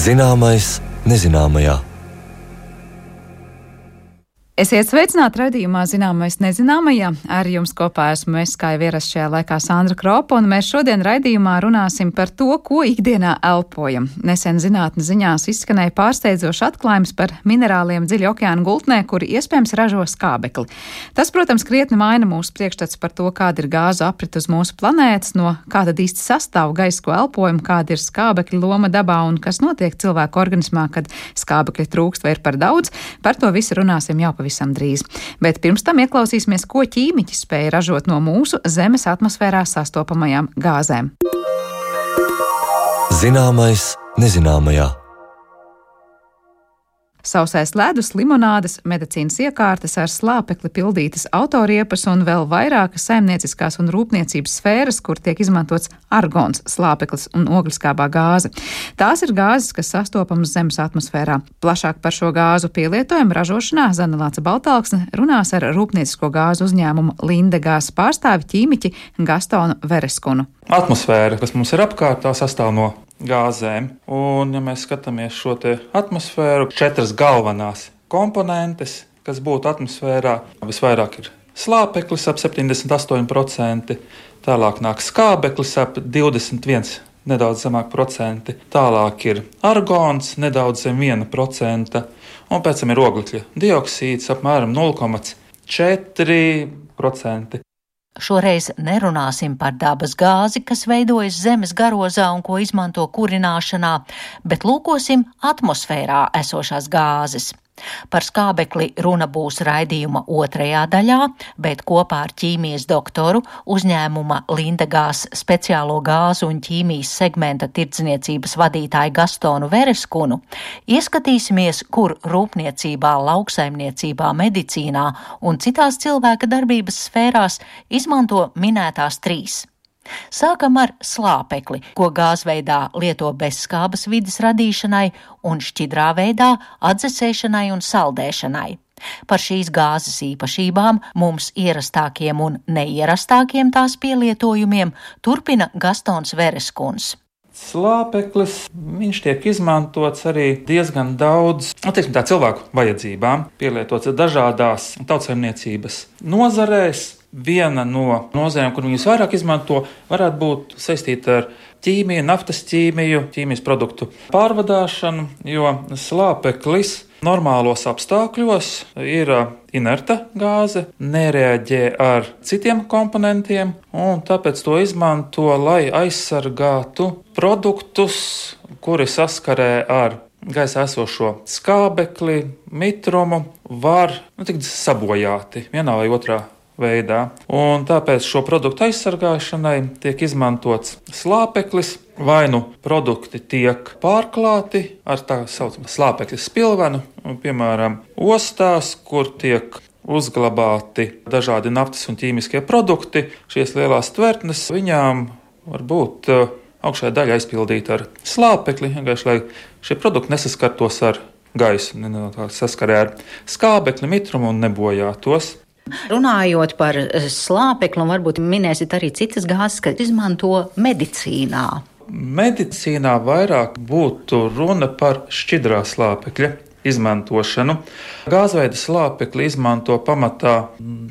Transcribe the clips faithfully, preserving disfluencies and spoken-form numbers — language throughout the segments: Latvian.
Zināmais nezināmajā. Esiet sveicināti raidījumā Zināmais nezināmajā. Ar jums kopā esmu es, kā jau ierasts šajā laikā, Sandra Kropa, un mēs šodien raidījumā runāsim par to, ko ikdienā elpojam. Nesen zinātnes ziņās izskanēja pārsteidzošs atklājums par minerāliem dziļi okeāna gultnē, kuri iespējams ražo skābekli. Tas, protams, krietni maina mūsu priekšstats par to, kāda ir gāzu aprit uz mūsu planētas, no kā tad īsti sastāv gaisa, ko elpojam, kāda ir skābekļa loma dabā un kas notiek cilvēku organismā, kad skābekļa trūkst vai ir par daudz. Par to visu runāsim jau pavisam visam drīz. Bet pirms tam ieklausīsimies, ko ķīmiķi spēja ražot no mūsu Zemes atmosfērā sastopamajām gāzēm. Zināmais nezināmajā. Sausais ledus, limonādes, medicīnas iekārtas ar slāpekli pildītas autoriepas un vēl vairākas saimnieciskās un rūpniecības sfēras, kur tiek izmantots argons, slāpeklis un ogliskābā gāze. Tās ir gāzes, kas sastopamas Zemes atmosfērā. Plašāk par šo gāzu pielietojumu ražošanā Zana Lāca Baltalksne runās ar rūpniecisko gāzu uzņēmumu Lindegās pārstāvi ķīmiķi Gastonu Vereskunu. Atmosfēra, kas mums ir apkārt, tā sastāv no gāzēm. Un, ja mēs skatāmies šo te atmosfēru, četras galvenās komponentes, kas būtu atmosfērā, visvairāk ir slāpeklis ap septiņdesmit astoņi procenti, tālāk nāk skābeklis ap divdesmit viens, nedaudz zemāk procenti, tālāk ir argons, nedaudz zem viena procenta, un pēc tam ir oglekļa dioksīds apmēram nulle komats četri procenti. Šoreiz nerunāsim par dabas gāzi, kas veidojas Zemes garozā un ko izmanto kurināšanā, bet lūkosim atmosfērā esošās gāzes. Par skābekli runa būs raidījuma otrajā daļā, bet kopā ar ķīmijas doktoru, uzņēmuma Lindegās speciālo gāzu un ķīmijas segmenta tirdzniecības vadītāju Gastonu Vereskunu ieskatīsimies, kur rūpniecībā, lauksaimniecībā, medicīnā un citās cilvēka darbības sfērās izmanto minētās trīs. Sākam ar slāpekli, ko gāzveidā lieto bezskābas vides radīšanai un šķidrā veidā atdzesēšanai un saldēšanai. Par šīs gāzes īpašībām, mums ierastākiem un neierastākiem tās pielietojumiem turpina Gastons Vereskuns. Slāpeklis, viņš tiek izmantots arī diezgan daudz, teiksim tā, cilvēku vajadzībām, pielietots dažādās tautsaimniecības nozarēs. Viena no nozarēm, kur viņus vairāk izmanto, varētu būt saistīta ar ķīmiju, naftas ķīmiju, ķīmijas produktu pārvadāšanu, jo slāpeklis normālos apstākļos ir inerta gāze, nereaģē ar citiem komponentiem, un tāpēc to izmanto, lai aizsargātu produktus, kuri saskarē ar gaisā esošo skābekli, mitrumu, var nu, tikt sabojāti vienā vai otrā veidā. Un tāpēc šo produktu aizsargāšanai tiek izmantots slāpeklis, vai nu produkti tiek pārklāti ar tā saucamu slāpekļa spilvenu, piemēram, ostās, kur tiek uzglabāti dažādi naftas un ķīmiskie produkti. Šīs lielās tvertnes, viņām var būt augšējā daļa aizpildīta ar slāpekli, vienkārši, lai šie produkti nesaskartos ar gaisu, saskarē ar skābekli, mitrumu un nebojātos. Runājot par slāpekli, un varbūt minēsit arī citas gāzes, kas izmanto medicīnā. Medicīnā vairāk būtu runa par šķidrā slāpekļa izmantošanu. Gāzveida slāpekli izmanto pamatā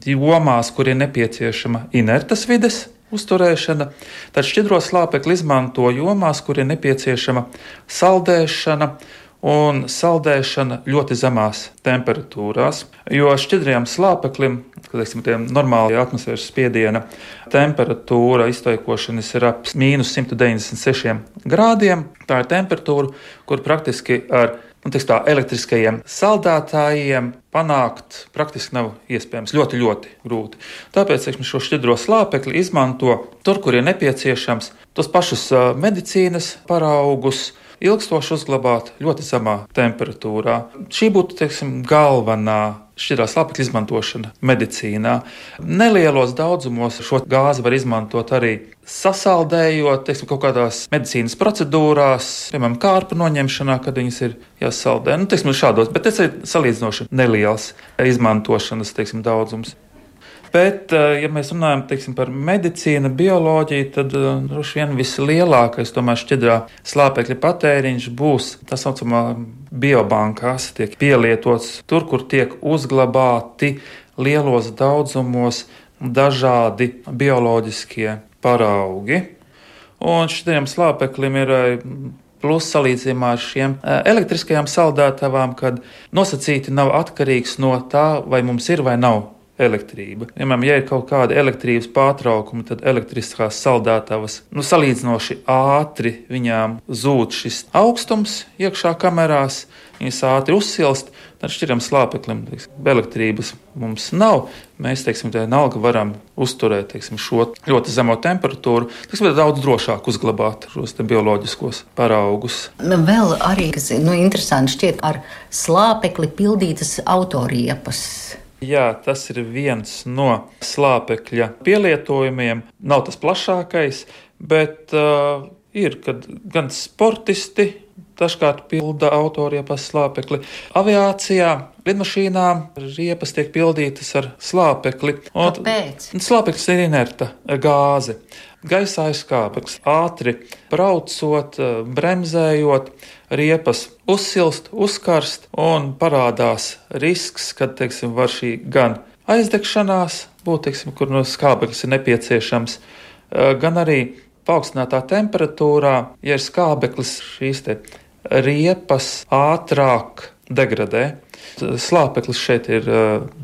jomās, kur ir nepieciešama inertas vides uzturēšana, tad šķidro slāpekli izmanto jomās, kur ir nepieciešama saldēšana, un saldēšana ļoti zemās temperatūrās, jo šķidrajam slāpeklim, kad teiksim, normāli atmosfēras spiediena temperatūra izteikošanas ir ap mīnus simt deviņdesmit sešiem grādiem. Tā ir temperatūra, kur praktiski ar nu, teiks tā, elektriskajiem saldētājiem panākt praktiski nav iespējams, ļoti, ļoti grūti. Tāpēc teiksim, šo šķidro slāpekli izmanto tur, kur ir nepieciešams, tos pašus medicīnas paraugus, ilgstoši uzglabāt ļoti zemā temperatūrā. Šī būtu, teiksim, galvenā šķidrā slāpekļa izmantošana medicīnā. Nelielos daudzumos šo gāzi var izmantot arī sasaldējot, teiksim, kaut kādās medicīnas procedūrās, piemēram, kārpu noņemšanā, kad viņas ir jāsaldē. Nu, teiksim, šādos, bet tas ir salīdzinoši neliels izmantošanas, teiksim, daudzums. Bet, ja mēs runājam teiksim, par medicīnu, bioloģiju, tad droši vien vislielākais tomēr šķidrā slāpekļa patēriņš būs tā saucamā biobankās, tiek pielietots tur, kur tiek uzglabāti lielos daudzumos dažādi bioloģiskie paraugi. Un šķidriem slāpeklim ir plus salīdzinājumā ar šiem elektriskajām saldētavām, kad nosacīti nav atkarīgs no tā, vai mums ir vai nav elektrība. Piemēram, ja ir kaut kādi elektrības pārtraukumi, tad elektriskās saldētavas nu, salīdzinoši ātri viņām zūd šis augstums iekšā kamerās, viņas ātri uzsilst, tad šķidram slāpeklim teiksim, elektrības mums nav. Mēs, teiksim, tā vienalga varam uzturēt teiksim, šo ļoti zemo temperatūru, teiksim, daudz drošāk uzglabāt šos te bioloģiskos paraugus. Vēl arī, kas nu, interesanti šķiet, ar slāpekli pildītas autoriepas. Jā, tas ir viens no slāpekļa pielietojumiem. Nav tas plašākais, bet uh, ir, kad gan sportisti dažkārt pilda autoriepas slāpekli. Aviācijā, lidmašīnām riepas tiek pildītas ar slāpekli. Kāpēc? Slāpeklis ir inerta gāze. Gaisā ir skābeklis. Ātri braucot, bremzējot, riepas uzsilst, uzkarst un parādās risks, kad, teiksim, var šī gan aizdegšanās būt, teiksim, kur no skābeklis ir nepieciešams, gan arī paaugstinātā temperatūrā, ja ir skābeklis, šīs te riepas ātrāk degradē. Slāpeklis šeit ir,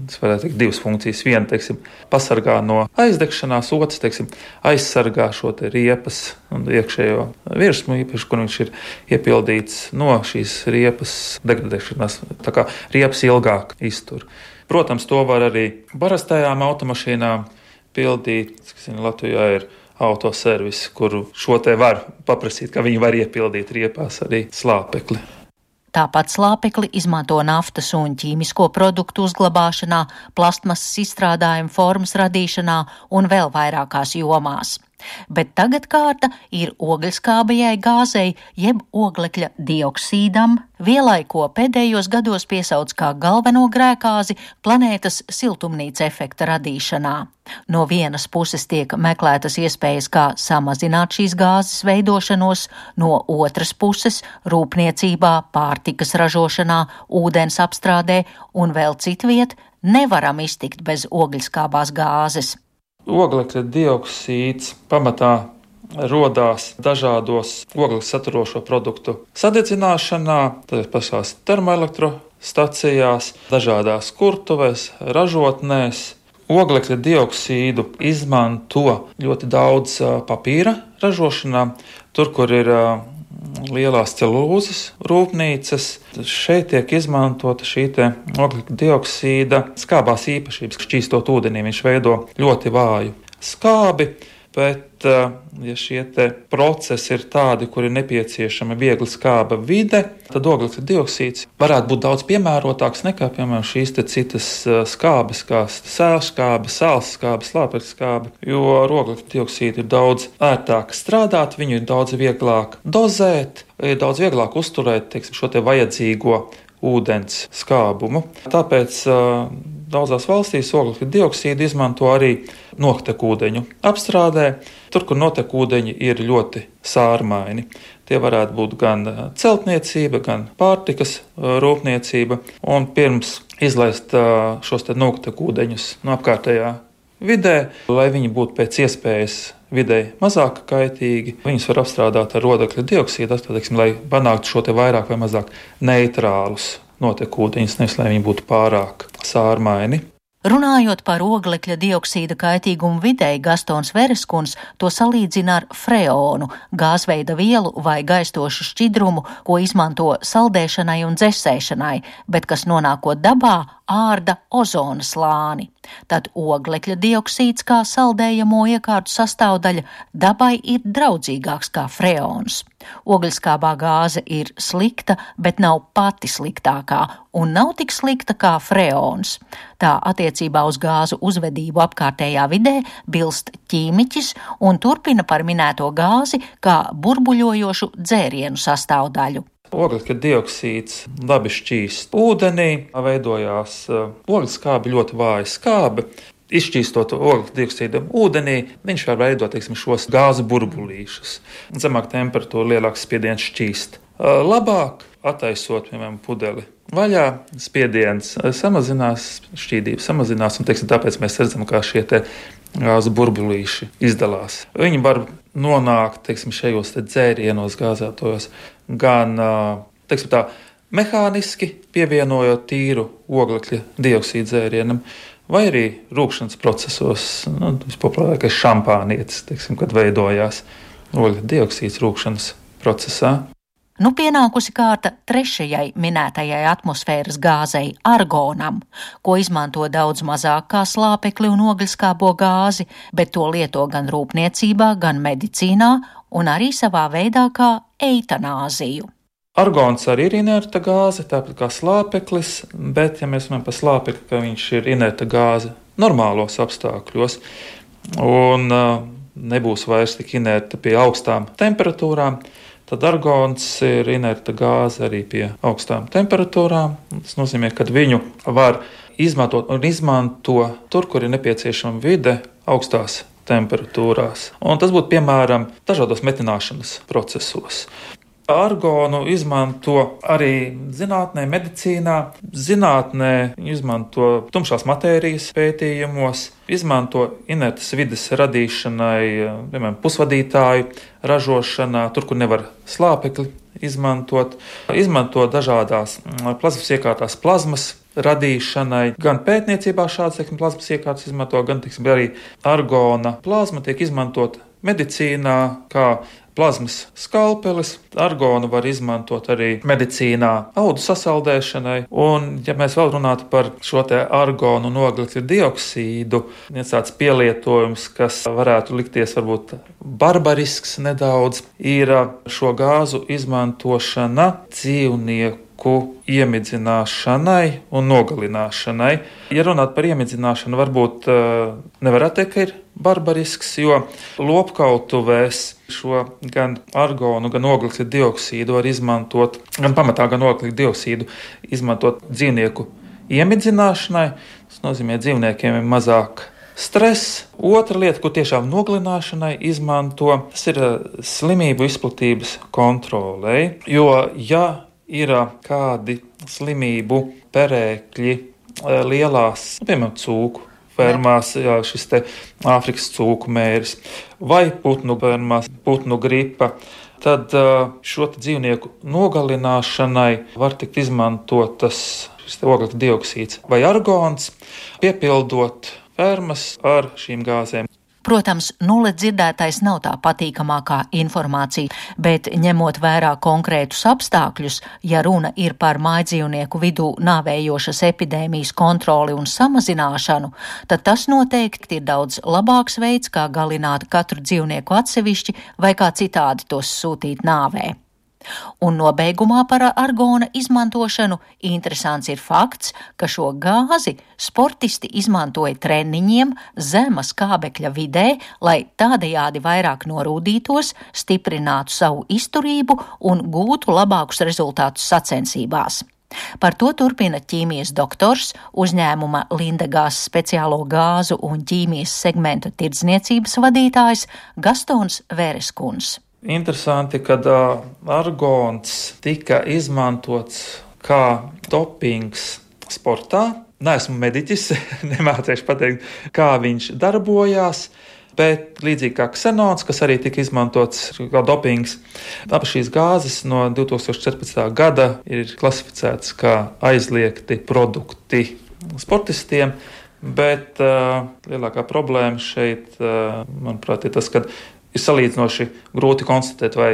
es varētu teikt, divas funkcijas. Viena, teiksim, pasargā no aizdegšanās, otrs, teiksim, aizsargā šo te riepas un iekšējo virsmu, īpaši, kur viņš ir iepildīts no šīs riepas degradēšanās. Tā kā riepas ilgāk iztur. Protams, to var arī parastajām automašīnām pildīt. Latvijā ir autoservis, kuru šo te var paprasīt, ka viņi var iepildīt riepās arī slāpekli. Tāpat slāpekli izmanto naftas un ķīmisko produktu uzglabāšanā, plastmasas izstrādājumu formas radīšanā un vēl vairākās jomās. Bet tagad kārta ir ogļskābajai gāzei, jeb oglekļa dioksīdam, vielai, ko pēdējos gados piesauc kā galveno grēkāzi planētas siltumnīca efekta radīšanā. No vienas puses tiek meklētas iespējas, kā samazināt šīs gāzes veidošanos, no otras puses rūpniecībā, pārtikas ražošanā, ūdens apstrādē un vēl citviet nevaram iztikt bez ogļskābās gāzes. Oglekļa dioksīds pamatā rodās dažādos oglekļa saturošo produktu sadedzināšanā, tā pašās termoelektrostacijās, dažādās kurtuvēs, ražotnēs. Oglekļa dioksīdu izmanto ļoti daudz papīra ražošanā, tur, kur ir lielās celulūzes rūpnīcas. Šeit tiek izmantota šī te oglekļa dioksīda skābās īpašības. Šķīstot ūdenī viņš veido ļoti vāju skābi, bet ja šie te procesi ir tādi, kur ir nepieciešama viegli skāba vide, tad oglekļa dioksīds varētu būt daudz piemērotāks nekā, piemēram, šīs te citas skābes, kā sēlskābe, sālskābe, slāpekļa skābe, jo ar oglekļa dioksīdu ir daudz ērtāk strādāt, viņu ir daudz vieglāk dozēt, ir daudz vieglāk uzturēt, teiksim, šo te vajadzīgo ūdens skābumu. Tāpēc uh, daudzās valstīs oglekļa dioksīdu izmanto arī notekūdeņu apstrādē, tur, kur notekūdeņi ir ļoti sārmaini. Tie varētu būt gan celtniecība, gan pārtikas rūpniecība, un pirms izlaist uh, šos te notekūdeņus no apkārtējā vidē, lai viņi būtu pēc iespējas videi mazāk kaitīgi. Viņus var apstrādāt ar oglekļa dioksīdu, teiksim, lai panāktu šo te vairāk vai mazāk neitrālus notekūdeņus, nevis lai viņi būtu pārāk sārmaini. Runājot par oglekļa dioksīda kaitīgumu videi, Gastons Vereskuns to salīdzina ar freonu, gāzveida vielu vai gaistošu šķidrumu, ko izmanto saldēšanai un dzesēšanai, bet kas nonākot dabā ārda ozona slāni. Tad oglekļa dioksīds kā saldējamo iekārtu sastāvdaļa dabai ir draudzīgāks kā freons. Ogļskābā gāze ir slikta, bet nav pati sliktākā un nav tik slikta kā freons. Tā attiecībā uz gāzu uzvedību apkārtējā vidē bilst ķīmiķis un turpina par minēto gāzi kā burbuļojošu dzērienu sastāvdaļu. Oglekļa dioksīds labi šķīst ūdenī, veidojās ogļskābi, ļoti vāji skābi. Izšķīstot oglekļa dioksīdu ūdenī, viņš var veidot, teiksim, šos gāzu burbulīšus. Zemāk temperatūra, lielāks spiediens šķīst. Labāk attaisot, piemēram, pudeli vaļā, spiediens samazinās, šķīdība samazinās, un, teiksim, tāpēc mēs redzam, kā šie te gāzu burbulīši izdalās. Viņi var nonākt, teiksim, šajos te dzērienos gāzētojos gan, teiksim tā, mehāniski pievienojot tīru oglekļa dioksīdu dzērienam, vai arī rūkšanas procesos, nu, vispopulārākais šampānietis, teiksim, kad veidojās oglekļa dioksīds rūkšanas procesā. Nu pienākusi kārta trešajai minētajai atmosfēras gāzei argonam, ko izmanto daudz mazāk kā slāpekli un ogļskābo gāzi, bet to lieto gan rūpniecībā, gan medicīnā un arī savā veidā kā eitanāziju. Argons arī ir inerta gāze, tāpat kā slāpeklis, bet, ja mēs runājam par slāpekli, ka viņš ir inerta gāze normālos apstākļos un uh, nebūs vairs tik inerta pie augstām temperatūrām, tad argons ir inerta gāze arī pie augstām temperatūrām. Tas nozīmē, ka viņu var izmantot un izmanto tur, kur ir nepieciešama vide augstās temperatūrās. Un tas būtu piemēram dažādos metināšanas procesos. Argonu izmanto arī zinātnē, medicīnā. Zinātnē izmanto tumšās matērijas pētījumos, izmanto inertas vides radīšanai, piemēram, pusvadītāju ražošanā, tur, kur nevar slāpekli izmantot. Izmanto dažādās plazmas iekārtās plazmas radīšanai. Gan pētniecībā šādas, teiksim, plazmas iekārtas izmanto, gan, teiksim, arī argona plazma tiek izmantot medicīnā kā plazmas skalpelis. Argonu var izmantot arī medicīnā audu sasaldēšanai. Un, ja mēs vēl runātu par šo te argonu un oglekļa dioksīdu, viens tāds pielietojums, kas varētu likties varbūt barbarisks nedaudz, ir šo gāzu izmantošana dzīvnieku iemidzināšanai un nogalināšanai. Ja runāt par iemidzināšanu, varbūt nevarētu teikt, ka ir barbarisks, jo lopkautuvēs šo gan argonu, gan oglekļa dioksīdu var izmantot, gan pamatā gan oglekļa dioksīdu izmantot dzīvnieku iemidzināšanai. Tas nozīmē, dzīvniekiem ir mazāk stress. Otra lieta, ko tiešām nogalināšanai izmanto, tas ir slimību izplatības kontrolei, jo ja ir kādi slimību perēkļi lielās, piemēram, cūku fermās, jā, šis te Āfrikas cūku mēris, vai putnu fermās, putnu gripa, tad šo dzīvnieku nogalināšanai var tikt izmantotas šis te oglekļa dioksīds vai argons, piepildot fermas ar šīm gāzēm. Protams, nulle dzirdētais nav tā patīkamākā informācija, bet ņemot vērā konkrētus apstākļus, ja runa ir par mājdzīvnieku vidū nāvējošas epidēmijas kontroli un samazināšanu, tad tas noteikti ir daudz labāks veids, kā galināt katru dzīvnieku atsevišķi vai kā citādi tos sūtīt nāvē. Un nobeigumā par argona izmantošanu interesants ir fakts, ka šo gāzi sportisti izmantoja treniņiem zema skābekļa vidē, lai tādējādi vairāk norūdītos, stiprinātu savu izturību un gūtu labākus rezultātus sacensībās. Par to turpina ķīmijas doktors, uzņēmuma Lindegās speciālo gāzu un ķīmijas segmenta tirdzniecības vadītājs Gastons Vēreskuns. Interesanti, kad uh, argons tika izmantots kā dopings sportā. Neesmu mediķis, nemācīšu pateikt, kā viņš darbojās, bet līdzīgi kā ksenons, kas arī tika izmantots kā dopings, abas šīs gāzes no divi tūkstoši četrpadsmitā gada ir klasificētas kā aizliegti produkti sportistiem. Bet uh, lielākā problēma šeit, uh, manuprāt, ir tas, ka ir salīdzinoši grūti konstatēt, vai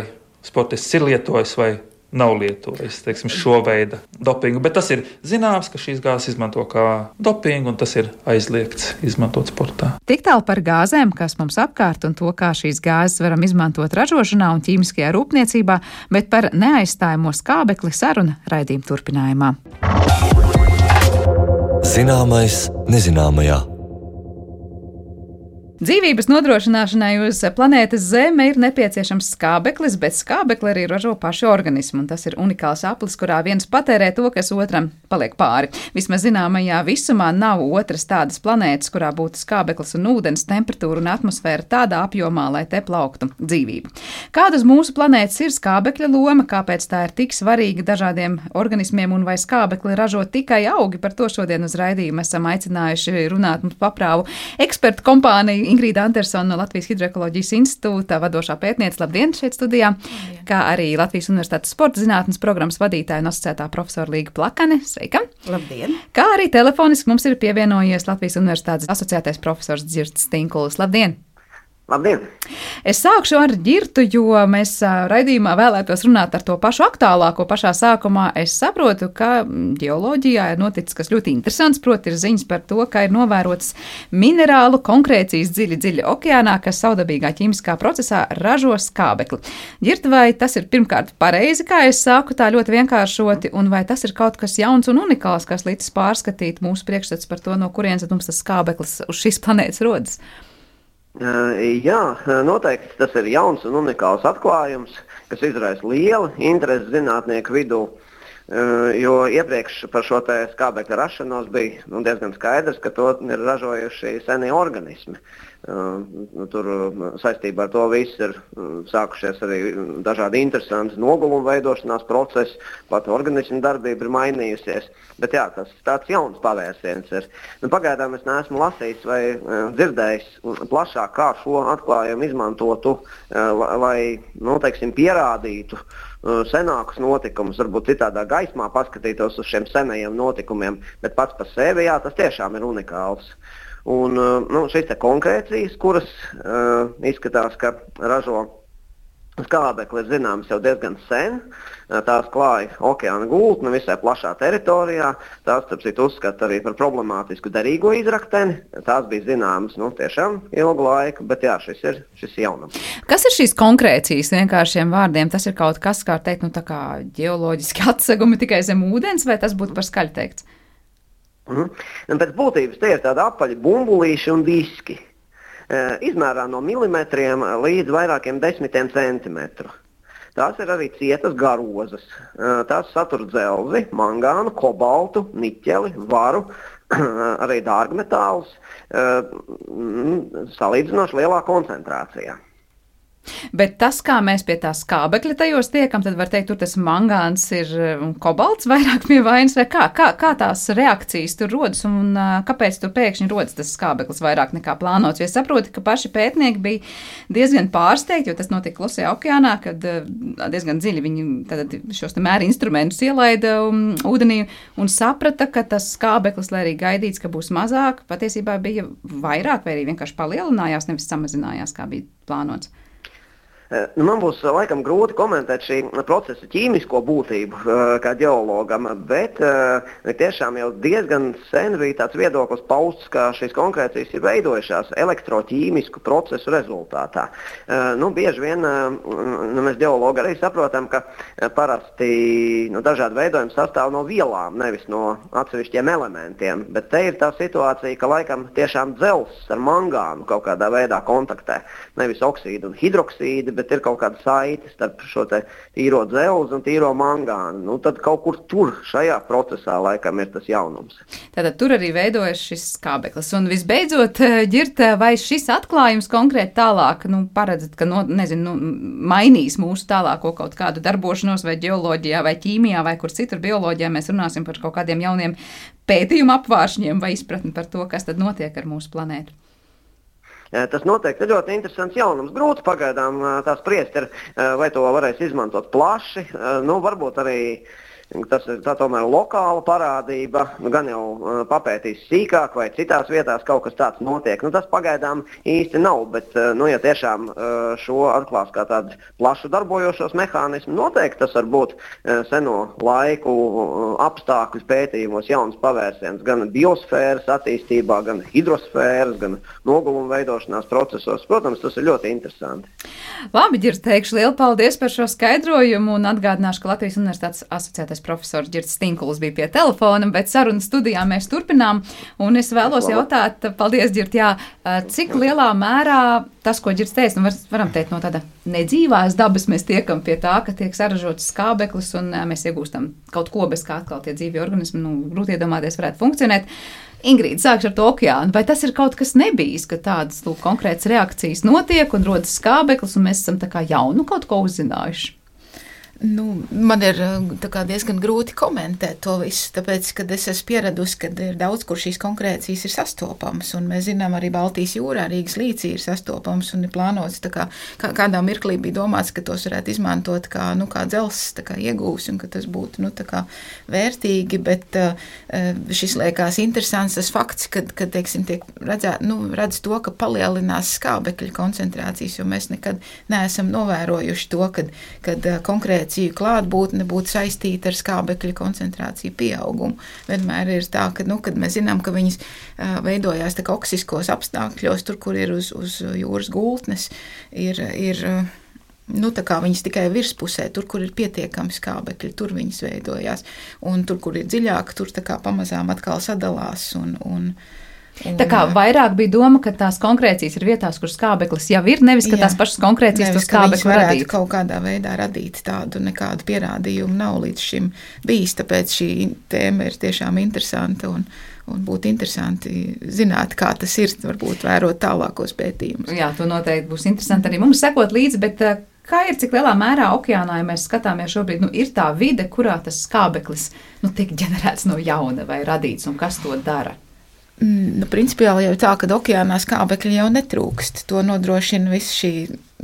sportists ir lietojis vai nav lietojis, teiksim, šo veidu dopingu. Bet tas ir zināms, ka šīs gāzes izmanto kā dopingu, un tas ir aizliegts izmantot sportā. Tik tālu par gāzēm, kas mums apkārt, un to, kā šīs gāzes varam izmantot ražošanā un ķīmiskajā rūpniecībā, bet par neaizstājamo skābekli saruna raidījuma turpinājumā. Zināmais nezināmajā. Dzīvības nodrošināšanai uz planētas Zeme ir nepieciešams skābeklis, bet skābekli arī ražo paši organismi, un tas ir unikāls aplis, kurā viens patērē to, kas otram paliek pāri. Vismaz zināmajā visumā nav otras tādas planētas, kurā būtu skābeklis un ūdens, temperatūra un atmosfēra tādā apjomā, lai te plauktu dzīvība. Kāda uz mūsu planētas ir skābekļa loma, kāpēc tā ir tik svarīga dažādiem organismiem, un vai skābekli ražo tikai augi? Par to šodien uz raidījumu esam aicinājuši runāt mums paprāvu ekspertu kompāniju Ingrīda Andersona no Latvijas Hidroekoloģijas institūta vadošā pētniece. Labdien, šeit studijā. Labdien. Kā arī Latvijas Universitātes sporta zinātnes programmas vadītāja un asociētā profesora Līga Plakane. Sveika! Labdien! Kā arī telefoniski mums ir pievienojies Latvijas Universitātes asociētais profesors Dzirts Tinkulis. Labdien! Labdien! Es sākšu ar Ģirtu, jo mēs raidījumā vēlētos runāt ar to pašu aktuālāko pašā sākumā. Es saprotu, ka ģeoloģijā ir noticis kas ļoti interesants, proti ir ziņas par to, ka ir novērotas minerālu konkrēcijas dziļi, dziļi okeānā, kas saudabīgā ķīmiskā procesā ražo skābekli. Ģirt, vai tas ir pirmkārt pareizi, kā es saku, tā ļoti vienkāršoti, un vai tas ir kaut kas jauns un unikāls, kas līdz pārskatīt mūsu priekšstats par to, no kurienes mums tas skābeklis uz šīs planētas rodas? Jā, noteikti tas ir jauns un unikāls atklājums, kas izraisa lielu interesi zinātnieku vidū, jo iepriekš par šo te skābekļa rašanos bija nu, diezgan skaidrs, ka to ir ražojuši senie organismi. Tur saistībā ar to viss ir sākušies arī dažādi interesanti noguluma veidošanās procesi, pat organismu darbība ir mainījusies. Bet jā, tas tāds jauns pavērsiens ir. Nu, pagaidām es neesmu lasījis vai dzirdējis plašāk, kā šo atklājumu izmantotu, lai, nu, teiksim, pierādītu senākus notikumus, varbūt citādā gaismā paskatītos uz šiem senajiem notikumiem, bet pats par sevi, jā, tas tiešām ir unikāls. Un nu, šīs te konkrēcijas, kuras uh, izskatās, ka ražo skābekli, ir zināmas jau diezgan sen. Tās klāja okeāna gultni visai plašā teritorijā. Tās, starp citu, uzskata arī par problemātisku derīgo izrakteni. Tās bija zināmas nu, tiešām ilgu laiku, bet jā, šis ir šis jaunums. Kas ir šīs konkrēcijas vienkāršiem vārdiem? Tas ir kaut kas, kā teikt, nu tā kā ģeoloģiski atsegumi tikai zem ūdens, vai tas būtu par skaļi teikts? Mm-hmm. Pēc būtības tie ir tādi apaļi bumbulīši un diski. E, izmērā no milimetriem līdz vairākiem desmitiem centimetru. Tās ir arī cietas garozas. E, tās satur dzelzi, mangānu, kobaltu, niķeli, varu, arī dārgmetālus e, salīdzinoši lielā koncentrācijā. Bet tas, kā mēs pie tā skābekļa tajos tiekam, tad var teikt, tur tas mangāns ir un kobalts vairāk pie vainas, vai kā, kā, kā tās reakcijas tur rodas un uh, kāpēc tur pēkšņi rodas tas skābeklis vairāk nekā plānots. Jo es saprotu, ka paši pētnieki bija diezgan pārsteigti, jo tas notika Klusajā okeānā, kad uh, diezgan dziļi viņi tad šos te mēra instrumentus ielaida um, ūdenī un saprata, ka tas skābeklis, lai arī gaidīts, ka būs mazāk, patiesībā bija vairāk vai arī vienkārši palielinājās, nevis samazinājās, kā bija plānots. Nu, man būs laikam grūti komentēt šī procesa ķīmisko būtību kā ģeologam, bet tiešām jau diezgan sen bija tāds viedoklis pausts, ka šīs konkrēcijas ir veidojušās elektroķīmisku procesu rezultātā. Nu, bieži vien nu, mēs ģeologi arī saprotam, ka parasti nu, dažādi veidojumi sastāv no vielām, nevis no atsevišķiem elementiem, bet te ir tā situācija, ka laikam tiešām dzelzs ar mangānu kaut kādā veidā kontaktē, nevis oksīdu un hidroksīdu, bet ir kaut kāda saite starp šo te tīro dzelzi un tīro mangānu. Nu, tad kaut kur tur šajā procesā laikam ir tas jaunums. Tātad tur arī veidojas šis skābeklis. Un visbeidzot, Ģirt, vai šis atklājums konkrēti tālāk, nu, paredzat, ka, no, nezinu, nu, mainīs mūsu tālāko kaut kādu darbošanos vai ģeoloģijā vai ķīmijā vai kur citur bioloģijā mēs runāsim par kaut kādiem jauniem pētījumu apvāršņiem vai izpratni par to, kas tad notiek ar mūsu planētu? Tas noteikti ir ļoti interesants jaunums. Grūti pagaidām tā spriest ir, vai to varēs izmantot plaši. Nu, varbūt arī tas ir tā tomēr lokāla parādība, nu, gan jau uh, papētīs sīkāk vai citās vietās kaut kas tāds notiek. Nu, tas pagaidām īsti nav, bet uh, nu, ja tiešām uh, šo atklās kā tādu plašu darbojošos mehānismu, noteikti tas var būt uh, seno laiku uh, apstākļu pētījumos jauns pavērsiens gan biosfēras attīstībā, gan hidrosfēras, gan noguluma veidošanās procesos. Protams, tas ir ļoti interesanti. Labi, Ģirds, teikšu lielu paldies par šo skaidrojumu un atgādināšu, ka Latvijas Universitātes asociētais profesors Ģirds Stinkuls bija pie telefona, bet sarunu studijā mēs turpinām. Un es vēlos jautāt, paldies, Ģird, jā, cik lielā mērā tas, ko Ģirds teica, nu var, varam teikt no tāda nedzīvās dabas, mēs tiekam pie tā, ka tiek saražots skābeklis un mēs iegūstam kaut ko, bez kā atkal tie dzīvi organismi, nu, grūti iedomāties, varētu funkcionēt. Ingrīda, sākšu ar to okeānu. Vai tas ir kaut kas nebijis, ka tādas lūk, konkrētas reakcijas notiek un rodas skābeklis, un mēs esam tā kā jaunu kaut ko uzzinājuši? Nu, man ir kā, diezgan grūti komentēt to visu, tāpēc, kad es esmu pieradusi, ka ir daudz, kur šīs konkrēcijas ir sastopamas, un mēs zinām arī Baltijas jūrā, Rīgas līcī ir sastopamas, un ir plānots, tā kā, kā kādā mirklī bija domāts, ka tos varētu izmantot kā, nu, kā dzelzs, tā kā iegūs, un ka tas būtu, nu, tā kā vērtīgi, bet šis liekas interesants tas fakts, kad, kad teiksim, tiek redzēt, nu, redz to, ka palielinās skābekļa koncentrācijas, jo mēs nekad neesam novērojuši to, kad, kad konkrēti klātbūtne būtu saistīta ar skābekļa koncentrāciju pieaugumu. Vienmēr ir tā, ka, nu, kad mēs zinām, ka viņas uh, veidojās tā kā oksiskos apstākļos, tur, kur ir uz, uz jūras gultnes, ir, ir uh, nu, tā kā viņas tikai virspusē, tur, kur ir pietiekami skābekļi, tur viņas veidojās. Un tur, kur ir dziļāk, tur tā kā pamazām atkal sadalās un, un Un, tā kā vairāk bija doma, ka tās konkrēcijas ir vietās, kur skābeklis jau ir, nevis, ka jā, tās pašas konkrēcijas to skābekli radīt. Kaut kādā veidā radīt tādu, nekādu pierādījumu nav līdz šim bijis, tāpēc šī tēma ir tiešām interesanta un, un būtu interesanti zināt, kā tas ir, varbūt vērot tālākos pētījumus. Jā, to noteikti būs interesanti arī mums sekot līdzi, bet kā ir, cik lielā mērā okeānā, ja mēs skatāmies šobrīd, nu, ir tā vide, kurā tas skābeklis, nu, tiek ģenerēts no jauna vai radīts, un kas to dara? Nu, principiāli jau tā, ka okeānā skābekļi jau netrūkst. To nodrošina viss šī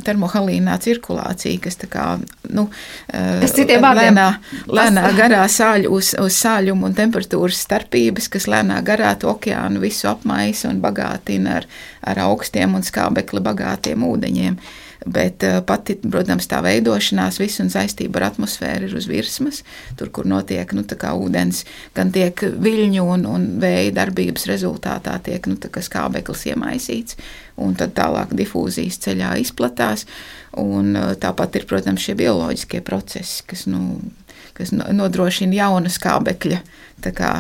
termohalīnā cirkulācija, kas tā kā, nu, lēnā, lēnā garā sāļu uz, uz sāļumu un temperatūras starpības, kas lēnā garā to okeānu visu apmaisa un bagātina ar, ar augstiem un skābekli bagātiem ūdeņiem. Bet pati, protams, tā veidošanās viss un saistība ar atmosfēru ir uz virsmas, tur, kur notiek, nu, tā kā ūdens, gan tiek viļņu un, un vēja darbības rezultātā tiek, nu, tā kā skābeklis iemaisīts, un tad tālāk difūzijas ceļā izplatās, un tāpat ir, protams, šie bioloģiskie procesi, kas, nu, kas nodrošina jauna skābekļa, tā kā,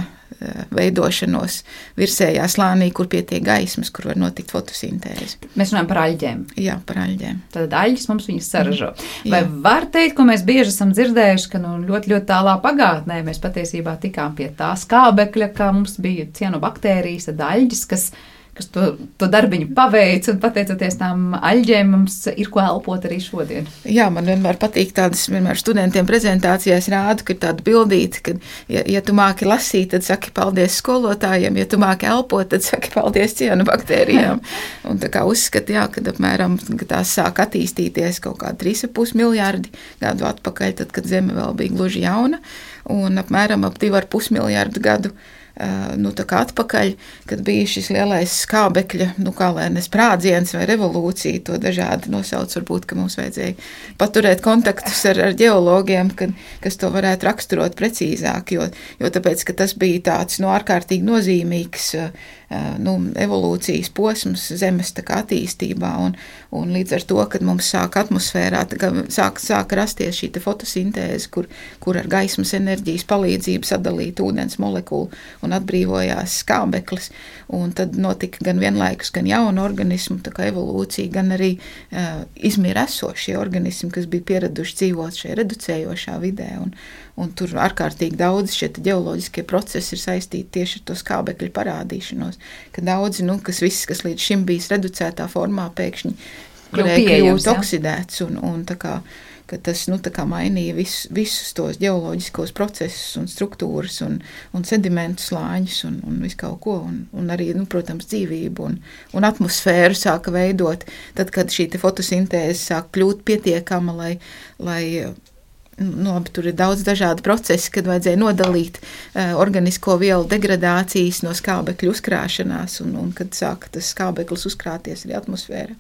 veidošanos virsējā slānī, kur pietiek gaismas, kur var notikt fotosintēze. Mēs runājam par aļģēm. Jā, par aļģēm. Tad aļģis mums viņas saražo. Vai Jā. Var teikt, ko mēs bieži esam dzirdējuši, ka nu, ļoti, ļoti tālā pagātnē mēs patiesībā tikām pie tā skābekļa, kā mums bija cianobaktērijas, tad aļģis, kas kas to, to darbiņu paveic, un pateicoties tām aļģēm mums ir ko elpot arī šodien. Jā, man vienmēr patīk tādas, vienmēr studentiem prezentācijās rādu, ka ir tāda bildīte, ka, ja, ja tu māki lasīt, tad saki paldies skolotājiem, ja tu māki elpot, tad saki paldies cianobaktērijām. Un tā kā uzskata, jā, kad apmēram, ka tās sāk attīstīties kaut kā trīs ar pus miljārdi gadu atpakaļ, tad, kad Zeme vēl bija gluži jauna, un apmēram ap divi ar pus miljārdu gadu nu, tā kā atpakaļ, kad bija šis lielais skābekļa, nu, kā lai ne sprādziens vai revolūcija, to dažādi nosauc, varbūt, ka mums vajadzēja paturēt kontaktus ar, ar ģeologiem, kad, kas to varētu raksturot precīzāk, jo, jo tāpēc, ka tas bija tāds, nu, ārkārtīgi nozīmīgs, nu, evolūcijas posms Zemes tā kā attīstībā, un, un līdz ar to, kad mums sāk atmosfērā, tā kā sāk, sāk rasties šī fotosintēze, kur, kur ar gaismas enerģijas palīdzību sadalīt ūdens molekulu un atbrīvojās skābeklis, un tad notika gan vienlaikus, gan jauna organismu, tā kā evolūcija, gan arī uh, izmira esošie organismi, kas bija pieraduši dzīvot šajā reducējošā vidē, un, un tur ārkārtīgi daudz šie ģeoloģiskie procesi ir saistīti tieši ar to skābekļu parādīšanos, ka daudzi, nu, kas viss, kas līdz šim bijis reducētā formā, pēkšņi kļūt oksidēts, un, un tā kā ka tas, nu, tā kā mainīja vis, visus tos ģeoloģiskos procesus un struktūras un, un sedimentu slāņus un, un visu kaut ko, un, un arī, nu, protams, dzīvību un, un atmosfēru sāka veidot, tad, kad šī te fotosintēze sāk kļūt pietiekama, lai, lai Nu, labi, tur ir daudz dažādu procesu, kad vajadzēja nodalīt uh, organisko vielu degradācijas no skābekļa uzkrāšanās, un, un kad sāka tas skābeklis uzkrāties arī atmosfērā.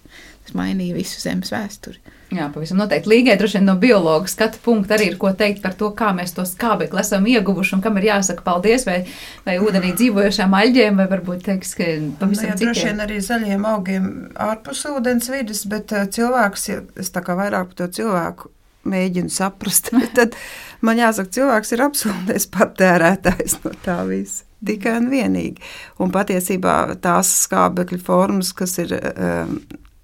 Tas mainīja visu Zemes vēsturi. Jā, pavisam noteikti. Līgai droši vien no biologa skatu punkta arī ir ko teikt par to, kā mēs to skābekli esam ieguvuši un kam ir jāsaka paldies, vai, vai ūdenī dzīvojošām aļģiem, vai varbūt teiks, ka pavisam jā, citiem. Droši vien arī zaļiem augiem ārpus ūdens vidas, bet cilvēks, ja es tā kā vairāk par to cilvēku mēģinu saprast, tad man jāsaka, cilvēks ir absolūtais patērētājs no tā visa. Tikai un vienīgi. Un patiesībā tās skābekļa formas, kas ir um,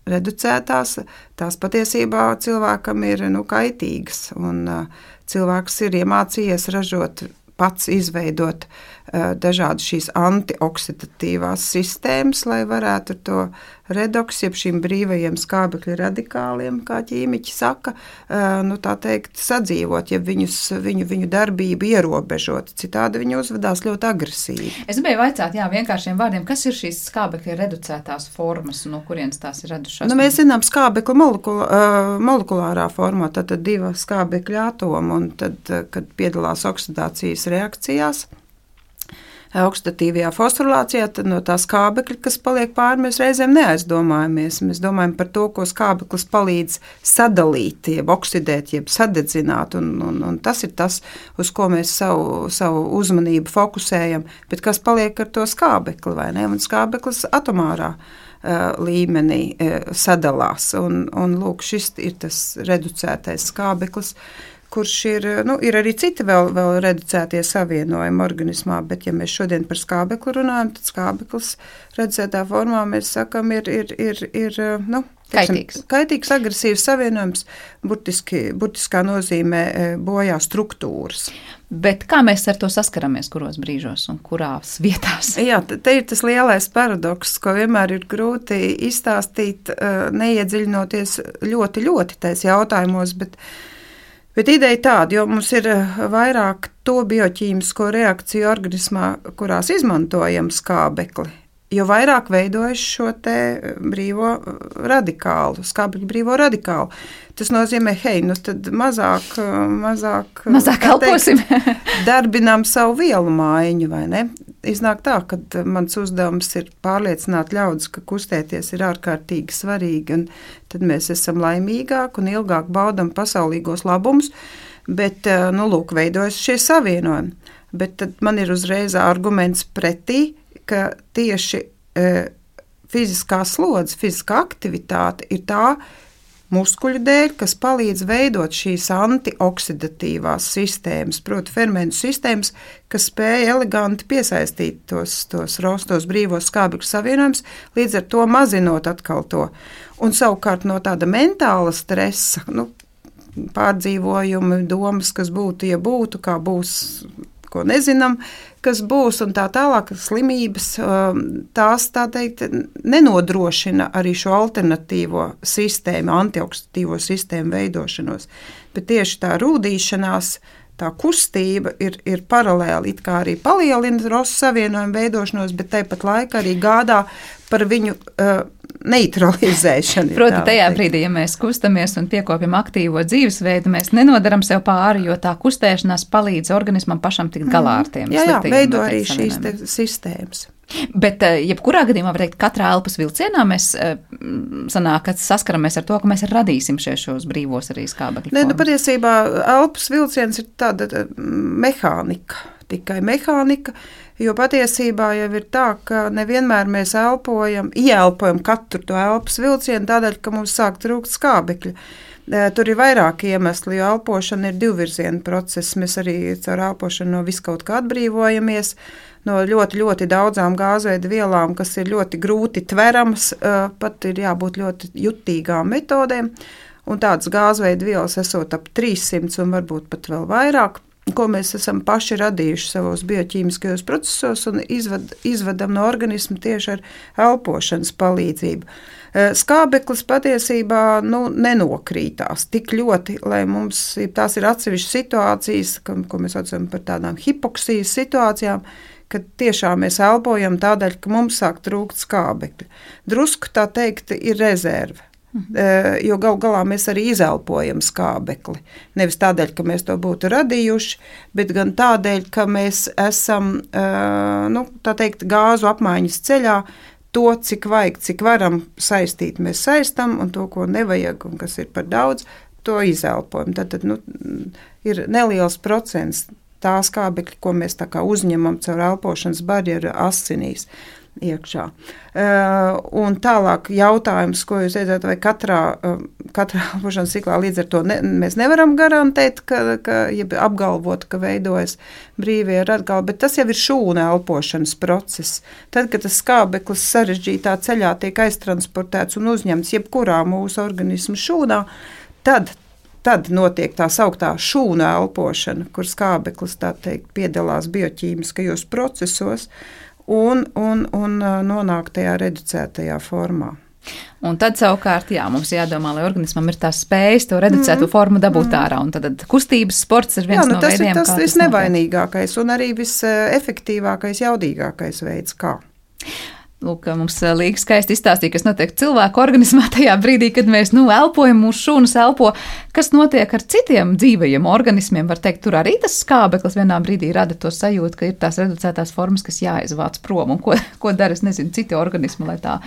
reducētās, tās patiesībā cilvēkam ir nu, kaitīgas. Un uh, cilvēks ir iemācījies ražot, pats izveidot uh, dažādas šīs antioksidatīvās sistēmas, lai varētu ar to redoksu, jeb šīm brīvajiem skābekļa radikāliem, kā ķīmiķi saka, uh, nu tā teikt, sadzīvot, ja viņus, viņu, viņu darbību ierobežot. Citādi viņi uzvedās ļoti agresīvi. Es gribēju vaicāt, jā, vienkāršiem vārdiem, kas ir šīs skābekļa reducētās formas un no kurienes tās ir radušās? Nu, mēs zinām skābekļa molekula, uh, molekulārā formā, tad divi skābekļa atomi, un tad, kad piedalās oksidācijas reakcijās, oksidatīvajā fosforylācijā, tad no tā skābekļa, kas paliek pāri, mēs reizēm neaizdomājamies. Mēs domājam par to, ko skābeklis palīdz sadalīt, jeb oksidēt, jeb sadedzināt, un, un, un tas ir tas, uz ko mēs savu, savu uzmanību fokusējam, bet kas paliek ar to skābekli, vai ne? Un skābeklis atomārā uh, līmenī uh, sadalās, un, un lūk, šis ir tas reducētais skābeklis, kurš ir, nu, ir arī citi vēl, vēl reducētie savienojumi organismā, bet ja mēs šodien par skābekli runājam, tad skābeklis reducētā formā, mēs sakam, ir, ir, ir, ir nu, teiksim, kaitīgs. Kaitīgs, agresīvs savienojums, burtiski, burtiskā nozīmē bojā struktūras. Bet kā mēs ar to saskaramies, kuros brīžos un kurās vietās? Jā, te ir tas lielais paradoks, ko vienmēr ir grūti izstāstīt, neiedziļinoties ļoti, ļoti tais jautājumos, bet Bet ideja tāda, jo mums ir vairāk to bioķīmisko reakciju organismā, kurās izmantojam skābekli, jo vairāk veidojas šo te brīvo radikālu, skābekļa brīvo radikālu. Tas nozīmē, hei, nu tad mazāk, mazāk, mazāk elposim. Darbinām savu vielu mājiņu, vai ne? Iznāk tā, ka mans uzdevums ir pārliecināt ļaudis, ka kustēties ir ārkārtīgi svarīgi, un tad mēs esam laimīgāk un ilgāk baudam pasaulīgos labumus, bet, nu, lūk, veidojas šie savienojumi. Bet tad man ir uzreiz arguments pretī, ka tieši e, fiziskā slodze, fiziskā aktivitāte ir tā, muskuļu dēļ, kas palīdz veidot šīs antioksidatīvās sistēmas, proti fermentu sistēmas, kas spēja eleganti piesaistīt tos, tos rostos brīvos skābekļu savienojumus, līdz ar to mazinot atkal to. Un savukārt no tāda mentāla stresa, nu, pārdzīvojumi, domas, kas būtu, ja būtu, kā būs, ko nezinām, kas būs un tā tālāk, slimības, tās, tā teikt, nenodrošina arī šo alternatīvo sistēmu, antioksidatīvo sistēmu veidošanos. Bet tieši tā rūdīšanās, tā kustība ir, ir paralēli, it kā arī palielina rosu savienojumu veidošanos, bet tāpat laikā arī gādā par viņu uh, neutralizēšanu. Proti, tajā brīdī, ja mēs kustamies un piekopjam aktīvo dzīvesveidu, mēs nenodaram sev pāri, jo tā kustēšanās palīdz organismam pašam tikt galā ar tiem. Jā, jā, veido arī šīs te sistēmas. Bet, jebkurā gadījumā, var teikt, katrā elpas vilcienā mēs sanāk, ka saskaramies ar to, ka mēs radīsim šie šos brīvos arī skābekļu formas. Nē, nu patiesībā elpas vilciens ir tāda mehānika, tikai mehānika, jo patiesībā jau ir tā, ka nevienmēr mēs elpojam, ieelpojam katru to elpas vilcienu tādēļ, ka mums sāk trūkt skābekļa. Tur ir vairāki iemesli, jo elpošana ir divvirziena process. Mēs arī caur elpošanu no viskaut kā atbrīvojamies, no ļoti, ļoti daudzām gāzveida vielām, kas ir ļoti grūti tveramas, pat ir jābūt ļoti jutīgām metodēm, un tādas gāzveida vielas esot ap trīssimts un varbūt pat vēl vairāk, ko mēs esam paši radījuši savos bioķīmiskajos procesos un izvad, izvadam no organisma tieši ar elpošanas palīdzību. Skābeklis patiesībā nu, nenokrītās tik ļoti, lai mums tās ir atsevišķas situācijas, ko, ko mēs saucam par tādām hipoksijas situācijām, kad tiešām mēs elpojam tādēļ, ka mums sāk trūkt skābekļa. Drusku tā teikt ir rezerve. Mhm. Jo gal galā mēs arī izelpojam skābekli. Nevis tādēļ, ka mēs to būtu radījuši, bet gan tādēļ, ka mēs esam, nu, tā teikt, gāzu apmaiņas ceļā. To, cik vajag, cik varam saistīt, mēs saistam, un to, ko nevajag un kas ir par daudz, to izelpojam. Tad, tad nu, ir neliels procents tā skābekļa, ko mēs tā kā uzņemam caur elpošanas barjeru asinīs iekšā. Uh, un tālāk jautājums, ko jūs teicāt, vai katrā, uh, katrā elpošanas ciklā līdz ar to ne, mēs nevaram garantēt, ka, ka ja apgalvot, ka veidojas brīvie radikāli, bet tas jau ir šūna elpošanas process. Tad, kad tas skābeklis sarežģītā ceļā tiek aiztransportēts un uzņemts jebkurā mūsu organismu šūnā, tad Tad notiek tā sauktā šūna elpošana, kur skābeklis tā teikt piedalās bioķīmiskajos procesos un, un, un nonāk tajā reducētajā formā. Un tad savukārt, jā, mums jādomā, lai organismam ir tās spējas to reducētu mm. formu dabūt mm. ārā, un tad kustības sports ir viens jā, nu, no tas veidiem, ir tas kā tas visnevainīgākais un arī visefektīvākais, jaudīgākais veids, kā. Lūk, mums Līga skaisti izstāstīja, kas notiek cilvēku organismā tajā brīdī, kad mēs, nu, elpojam, mūsu šūnas elpo. Kas notiek ar citiem dzīvajiem organismiem? Var teikt, tur arī tas skābeklis vienā brīdī rada to sajūtu, ka ir tās reducētās formas, kas jāizvāc prom. Un ko, ko dara, es nezinu, citi organismi, lai tā,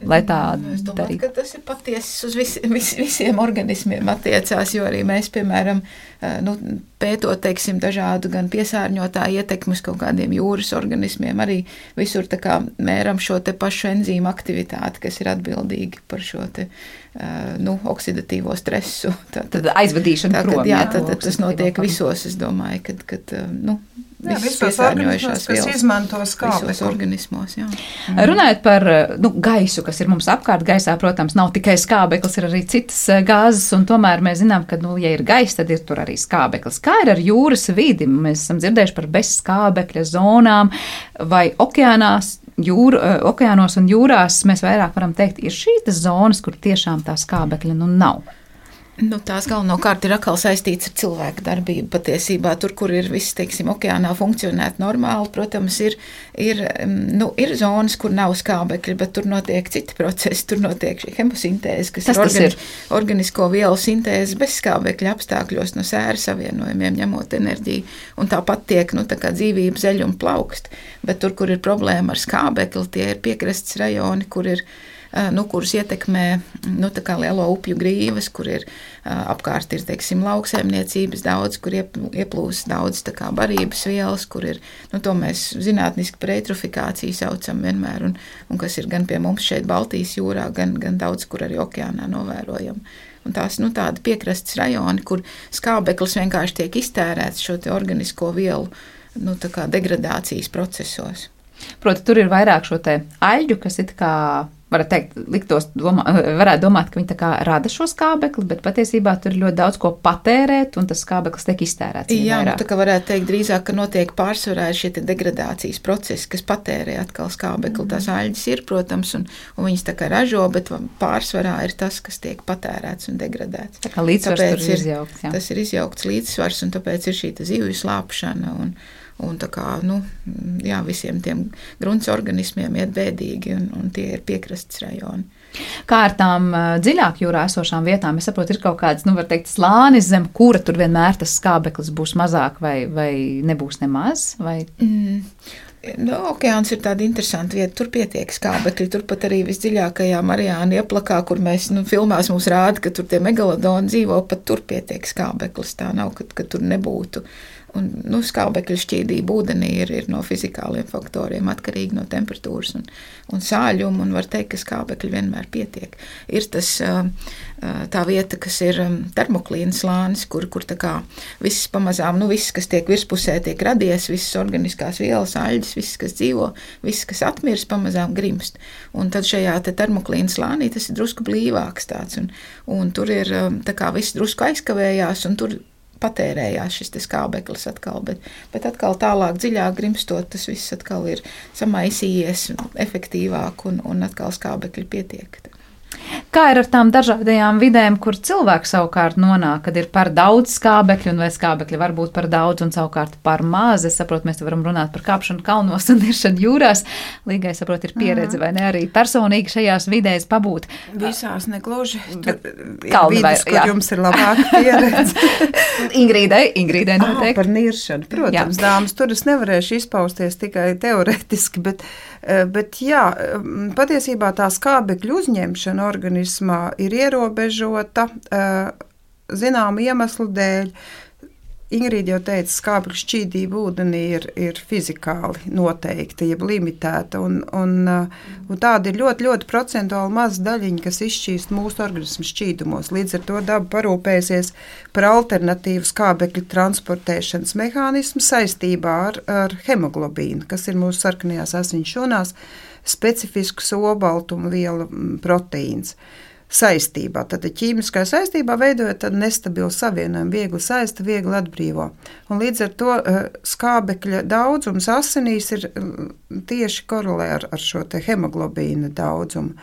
lai tā es domāju, darītu. Ka tas ir patiesis uz vis, vis, visiem organismiem attiecās, jo arī mēs, piemēram, nu, pētot, teiksim, dažādu gan piesārņotāju ietekmes kaut kādiem jūras organismiem, arī visur tā kā mēram šo te pašu enzīmu aktivitāti, kas ir atbildīgi par šo te, nu, oksidatīvo stresu. Tā, tad aizvadīšana tā, prom. Jā, jā tad, tad tas notiek visos, es domāju, kad, kad nu, jā, visos organismos, kas izmanto skābekli. Visos organismos, jā. Mm. Runājot par nu, gaisu, kas ir mums apkārt, gaisā, protams, nav tikai skābeklis, ir arī citas gāzes, un tomēr mēs zinām, ka, nu, ja ir gaiss, tad ir tur arī skābeklis. Kā ir ar jūras vidi? Mēs esam dzirdējuši par bezskābekļa zonām vai okeānās, jūr, okeānos un jūrās, mēs vairāk varam teikt, ir šīs zonas, kur tiešām tā skābekļa nu nav. Nu, tās galvenokārt ir atkal saistīts ar cilvēku darbību. Patiesībā tur, kur ir viss, teiksim, okeānā funkcionēt normāli, protams, ir, ir, nu, ir zonas, kur nav skābekļi, bet tur notiek citi procesi, tur notiek šī hemosintēze, kas tas ir, organi ir organisko vielu sintēze bez skābekļa apstākļos no sēra savienojumiem, ņemot enerģiju, un tāpat tiek, nu, tā kā dzīvība zeļ un plaukst, bet tur, kur ir problēma ar skābekli, tie ir piekrastes rajoni, kur ir Nu, kurus ietekmē nu, tā kā lielo upju grīvas, kur ir apkārt ir, teiksim, lauksaimniecības daudz, kur ieplūst daudz tā kā barības vielas, kur ir, nu, to mēs zinātniski par eitrofikāciju saucam vienmēr, un, un kas ir gan pie mums šeit Baltijas jūrā, gan, gan daudz, kur arī okeānā novērojam. Un tās, nu, tādi piekrastes rajoni, kur skābeklis vienkārši tiek iztērēts šo te organisko vielu, nu, tā kā degradācijas procesos. Proti, tur ir vairāk šo te aļģu, kas it kā varētu teikt, liktos domā, varētu domāt, ka viņi tā kā rada šo skābekli, bet patiesībā tur ir ļoti daudz ko patērēt, un tas skābeklis tiek iztērēts. Jā, nu, tā kā varētu teikt drīzāk, ka notiek pārsvarā šie degradācijas procesi, kas patērē atkal skābekli. Mm. Tās aļģes ir, protams, un, un viņas tā kā ražo, bet pārsvarā ir tas, kas tiek patērēts un degradēts. Tā kā līdzsvars tāpēc tur ir izjaukts. Jā. Tas ir izjaukts līdzsvars, un tāpēc ir šī zivju slāpšana un Un tā kā, nu, jā, visiem tiem grunts organismiem iet bēdīgi, un, un tie ir piekrastes rajoni. Kā ar tām dziļāk jūrā esošām vietām? Es saprotu, ir kaut kāds, nu, var teikt, slānis, zem kura tur vienmēr tas skābeklis būs mazāk vai, vai nebūs nemaz? Vai? Mm. Nu, okeāns ir tāda interesanta vieta, tur pietiek skābekļi, turpat arī visdziļākajā Marijāna ieplakā, kur mēs, nu, filmās mums rāda, ka tur tie megalodoni dzīvo, pat tur pietiek skābeklis, tā nav, ka, ka tur nebūtu. Un, nu, skābekļa šķīdība ūdenī ir, ir no fizikāliem faktoriem atkarīgi no temperatūras un, un sāļuma, un var teikt, ka skābekļi vienmēr pietiek. Ir tas tā vieta, kas ir termoklīna slānis, kur, kur tā kā viss pamazām, nu, viss, kas tiek virspusē, tiek radies, visas organiskās vielas, aļģes, viss, kas dzīvo, viss, kas atmirst, pamazām grimst. Un tad šajā te termoklīna slānī tas ir drusku blīvāks tāds, un, un tur ir tā kā viss drusku aizkavējās, un tur patērējās šis te skābeklis atkal, bet, bet atkal tālāk dziļāk grimstot, tas viss atkal ir samaisījies efektīvāk un, un atkal skābekļi pietiek. Kā ir ar tām dažādajām vidēm, kur cilvēks savukārt nonāk, kad ir par daudz skābekļu, un vai skābekļi var būt par daudz un savukārt par maz? Es saprotu, mēs te varam runāt par kāpšanu kalnos un iršanu jūrās. Līgai, saprotu, ir pieredze, vai ne, arī personīgi šajās vidēs pabūt. Visās negluži. Tur kalni vai, vidus, kur jā. Jums ir labāka pieredze. Ingrīdai, Ingrīdai noteikti. Ah, par niršanu, protams, jā. Dāmas, tur es nevarēšu izpausties tikai teoretiski, bet, bet jā, patiesībā tā skābekļu uzņemšana organismā ir ierobežota zināmu iemeslu dēļ. Ingrīda jau teica, skābekļu šķīdība ūdenī ir, ir fizikāli noteikta, jeb limitēta, un, un, un tāda ir ļoti, ļoti procentuāli maza daļiņa, kas izšķīst mūsu organismu šķīdumos. Līdz ar to daba parūpēsies par alternatīvu skābekļu transportēšanas mehānismu saistībā ar, ar hemoglobīnu, kas ir mūsu sarkanajās asiņu šūnās, specifisks olbaltumu viela proteīns. Saistībā, tad ķīmiskā saistībā veidojot tādu nestabilu savienojumu, viegli saista, viegli atbrīvo. Un līdz ar to skābekļa daudzums asinīs ir tieši korelē ar, ar šo te hemoglobīna daudzumu.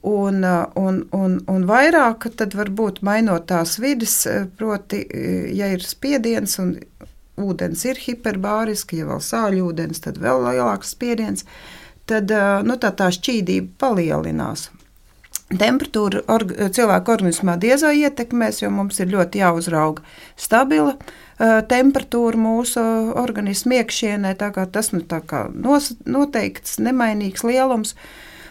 Un, un, un, un vairāk tad varbūt mainot tās vides, proti, ja ir spiediens un ūdens ir hiperbāriski, ja vēl sāļūdens, tad vēl lielāks spiediens, tad nu, tā, tā šķīdība palielinās. Temperatūra org, cilvēku organismā diezā ietekmēs, jo mums ir ļoti jāuzrauga stabila uh, temperatūra mūsu organismu iekšienē, tā kā tas nu, tā kā nos, noteikts, nemainīgs lielums.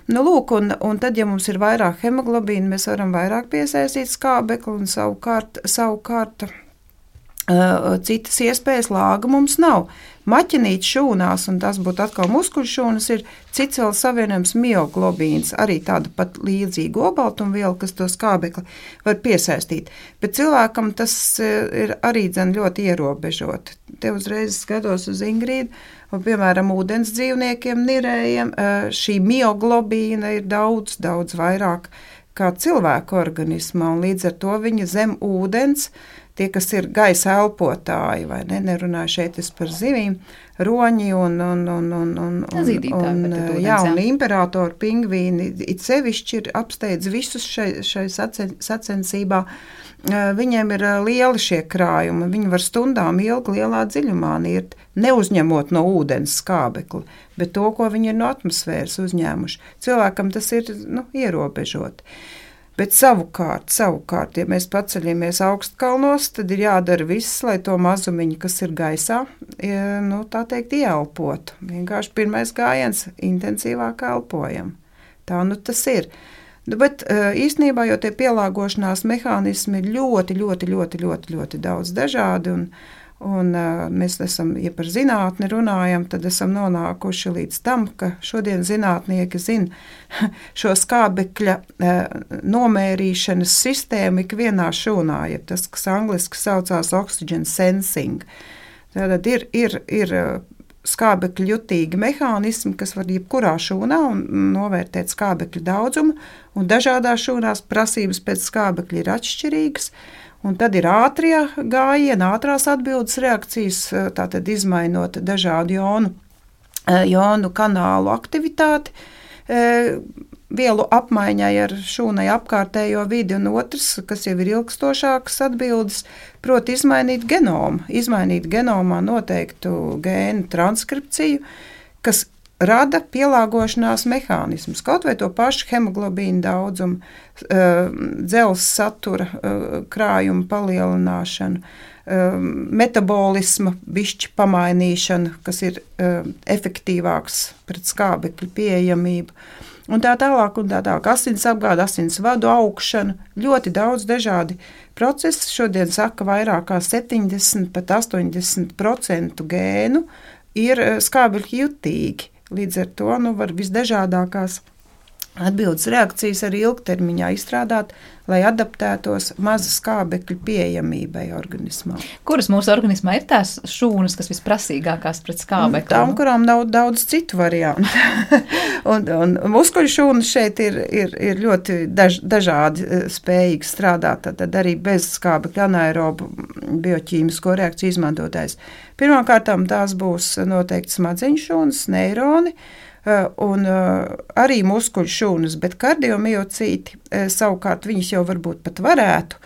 Nu, lūk, un, un tad, ja mums ir vairāk hemoglobīna, mēs varam vairāk piesaistīt skābekli un savukārt, savukārt uh, citas iespējas lāga mums nav. Maķenīt šūnās, un tas būtu atkal muskuļu šūnas, ir cits vēl savienojums mioglobīns, arī tāda pat līdzīga olbaltumviela, kas to skābekli var piesaistīt. Bet cilvēkam tas ir arī dzen ļoti ierobežot. Te uzreiz skatos uz Ingrīdu, un, piemēram, ūdens dzīvniekiem, nirējiem, šī mioglobīna ir daudz, daudz vairāk kā cilvēku organismā, un līdz ar to viņa zem ūdens, tie, kas ir gaisa elpotāji, vai ne, nerunāju šeit es par zivīm, roņi un, un, un, un, un, un, un, jā, un imperatori, pingvīni, it sevišķi ir apsteidz visus šai, šai sacensībā. Viņiem ir lieli šie krājumi, viņi var stundām ilgi lielā dziļumā nirt, neuzņemot no ūdens skābekli, bet to, ko viņi ir no atmosfēras uzņēmuši. Cilvēkam tas ir, nu, ierobežot. Bet savukārt, savukārt, ja mēs paceļamies augstkalnos, tad ir jādara viss, lai to mazumiņu, kas ir gaisā, nu, tā teikt, ieelpotu. Vienkārši pirmais gājiens intensīvāk elpojam. Tā nu tas ir. Bet īstenībā jau tie pielāgošanās mehānismi ir ļoti, ļoti, ļoti, ļoti, ļoti daudz dažādi, un, un mēs esam, ja par zinātni runājam, tad esam nonākuši līdz tam, ka šodien zinātnieki zina šo skābekļa nomērīšanas sistēmu ikvienā šūnā, ja tas, kas angliski saucās oxygen sensing. Tātad ir, ir, ir skābekļu jutīgi mehānismi, kas var jebkurā šūnā un novērtēt skābekļu daudzumu, un dažādās šūnās prasības pēc skābekļa ir atšķirīgas. Un tad ir ātrie gājieni, ātrās atbildes reakcijas, tātad izmainot dažādu jonu, jonu kanālu aktivitāti, vielu apmaiņai ar šūnai apkārtējo vidi, un otrs, kas jau ir ilgstošākas atbildes, proti izmainīt genomu, izmainīt genomā noteiktu gēnu transkripciju, kas rada pielāgošanās mehānismus, kaut vai to pašu hemoglobīnu daudzumu, dzelzs satura krājumu palielināšanu, metabolisma bišķi pamainīšanu, kas ir efektīvāks pret skābekļu pieejamību, un tā tālāk, un tā tālāk, asins apgāde, asins vadu augšana, ļoti daudz dažādi procesi. Šodien saka, vairāk kā septiņdesmit, pat astoņdesmit procenti gēnu ir skābekļu jutīgi. Līdz ar to nu, var visdažādākās atbildes reakcijas arī ilgtermiņā izstrādāt, lai adaptētos maza skābekļu pieejamībai organismā. Kuras mūsu organismā ir tās šūnas, kas visprasīgākās pret skābekli? Tām, kurām nav daudz citu variantu. un, un muskuļu šūnas šeit ir, ir, ir ļoti daž, dažādi spējīgi strādāt, tad arī bez skābekļa anaerobu bioķīmisko reakciju izmantotājs. Pirmkārtām tās būs noteikti smadzeņu šūnas, neironi, un arī muskuļu šūnas, bet kardiomiocīti savukārt viņas jau varbūt pat varētu,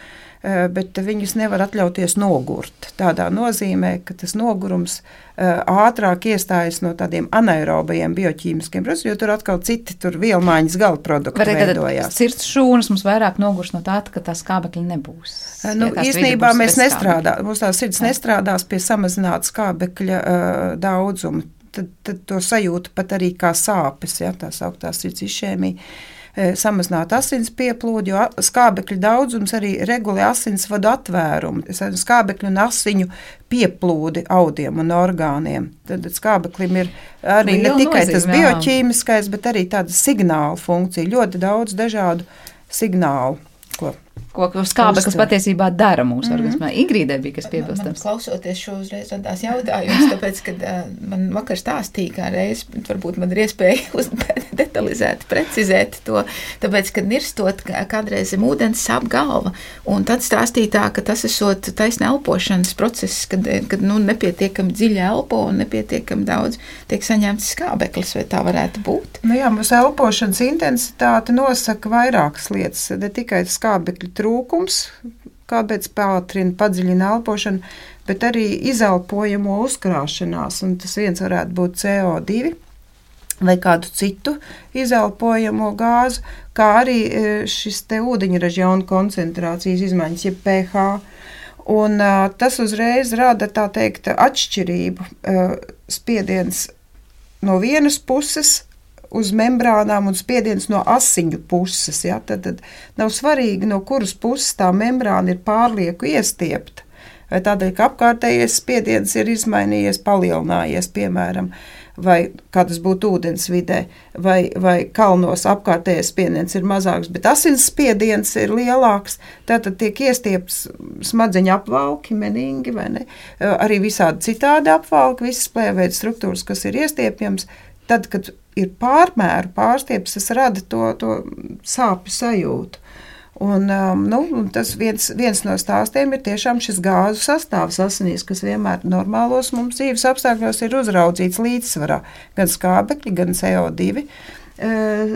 bet viņus nevar atļauties nogurt. Tādā nozīmē, ka tas nogurums ātrāk iestājas no tādiem anaerobajiem bioķīmiskiem procesiem, jo tur atkal citi tur vielmaiņas gala produkti veidojās. Sirds šūnas mums vairāk nogurs no tā, ka tā skābekļa nebūs. Nu, ja īstenībā mēs nestrādā, mums tā sirds nestrādās pie samazināta skābekļa uh, daudzuma. Tad, tad to sajūta pat arī kā sāpes, ja, tā sauktā sirds išēmija. Samazināt asins pieplūdi, jo skābekļa daudzums arī regulē asinsvadu atvērumu, skābekļu un asiņu pieplūdi audiem un orgāniem. Tad skābeklim ir arī ne tikai tas bioķīmiskais, bet arī tāda signāla funkcija, ļoti daudz dažādu signālu. Ko, ko skābeklis patiesībā dara mūsu mm-hmm. organismā. Igrīdē bija kas piebilstams. Man, man klausoties šo uzreiz radās jautājums, tāpēc, kad uh, man vakar stāstīja, kā reiz, varbūt man ir iespēja uz, detalizēt, precizēt to, tāpēc, kad nirstot kādreiz zem ūdens sāp galva, un tad stāstīja tā, ka tas esot taisna elpošanas process, kad, kad nu, nepietiekami dziļi elpo un nepietiekami daudz tiek saņemts skābeklis, vai tā varētu būt? Nu jā, mūsu elpošanas intensitāte nosaka vairākas lietas, ne tikai skābekļa trūkums, kāpēc pātrina, padziļina elpošanu, bet arī izelpojamo uzkrāšanās, un tas viens varētu būt C O divi vai kādu citu izelpojamo gāzu, kā arī šis te ūdeņraža jaunu koncentrācijas izmaiņas, jeb pH. Un uh, tas uzreiz rada, tā teikt, atšķirību, uh, spiediens no vienas puses uz membrānām un spiediens no asiņu puses. Ja? Tad, tad nav svarīgi, no kuras puses tā membrāna ir pārlieku iestiepta. Vai tādēļ, ka apkārtējais spiediens ir izmainījies, palielinājies, piemēram, vai kā tas būtu ūdens vidē, vai, vai kalnos apkārtējais spiediens ir mazāks, bet asins spiediens ir lielāks, tātad tiek iestiepts smadzeņu apvalki, meningi, vai ne? Arī visādi citādi apvalki, visas plēveidu struktūras, kas ir iestiepjams, tad, kad ir pārmēru pārstieps, tas rada to, to sāpju sajūtu. Un, um, nu, tas viens, viens no stāstiem ir tiešām šis gāzu sastāvs asinīs, kas vienmēr normālos mums dzīves apstākļos ir uzraudzīts līdzsvarā. Gan skābekļi, gan C O divi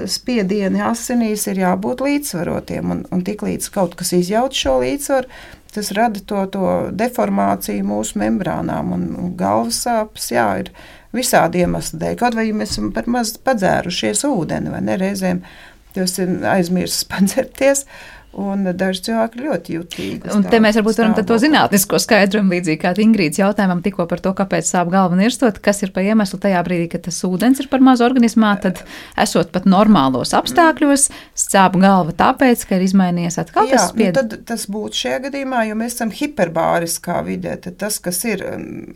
spiedieni asinīs ir jābūt līdzsvarotiem. Un, un tik līdz kaut kas izjauc šo līdzsvaru, tas rada to, to deformāciju mūsu membrānām. Un, un galvas sāpes, jā, ir visādi iemesli dēļ. Kaut vai mēs esam par maz padzērušies ūdeni, vai ne reizēm, tas ir aizmirsis padzerties, un daži cilvēki ļoti jutīgi. Un te mēs varbūt varam to zinātnisko skaidrojumu līdzīgi kā Ingrīdas jautājumam tikko par to, kāpēc sāp galva nirstot, kas ir pa iemeslu tajā brīdī, kad tas ūdens ir par maz organismā, tad esot pat normālos apstākļos, sāp galva tāpēc, ka ir izmainījies atkal tas spiediens. Jā, nu tad tas būtu šajā gadījumā, jo mēs esam hiperbāriskā vidē, tad tas, kas ir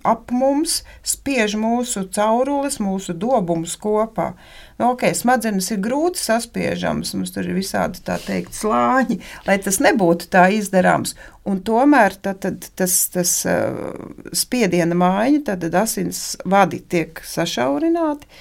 ap mums, spiež mūsu caurules, mūsu dobumus kopā. Nu, ok, smadzenes ir grūti saspiežams, mums tur ir visādi, tā teikt, slāņi, lai tas nebūtu tā izdarāms. Un tomēr tad, tad, tas, tas uh, spiediena maiņa, tad asins vadi tiek sašaurināti.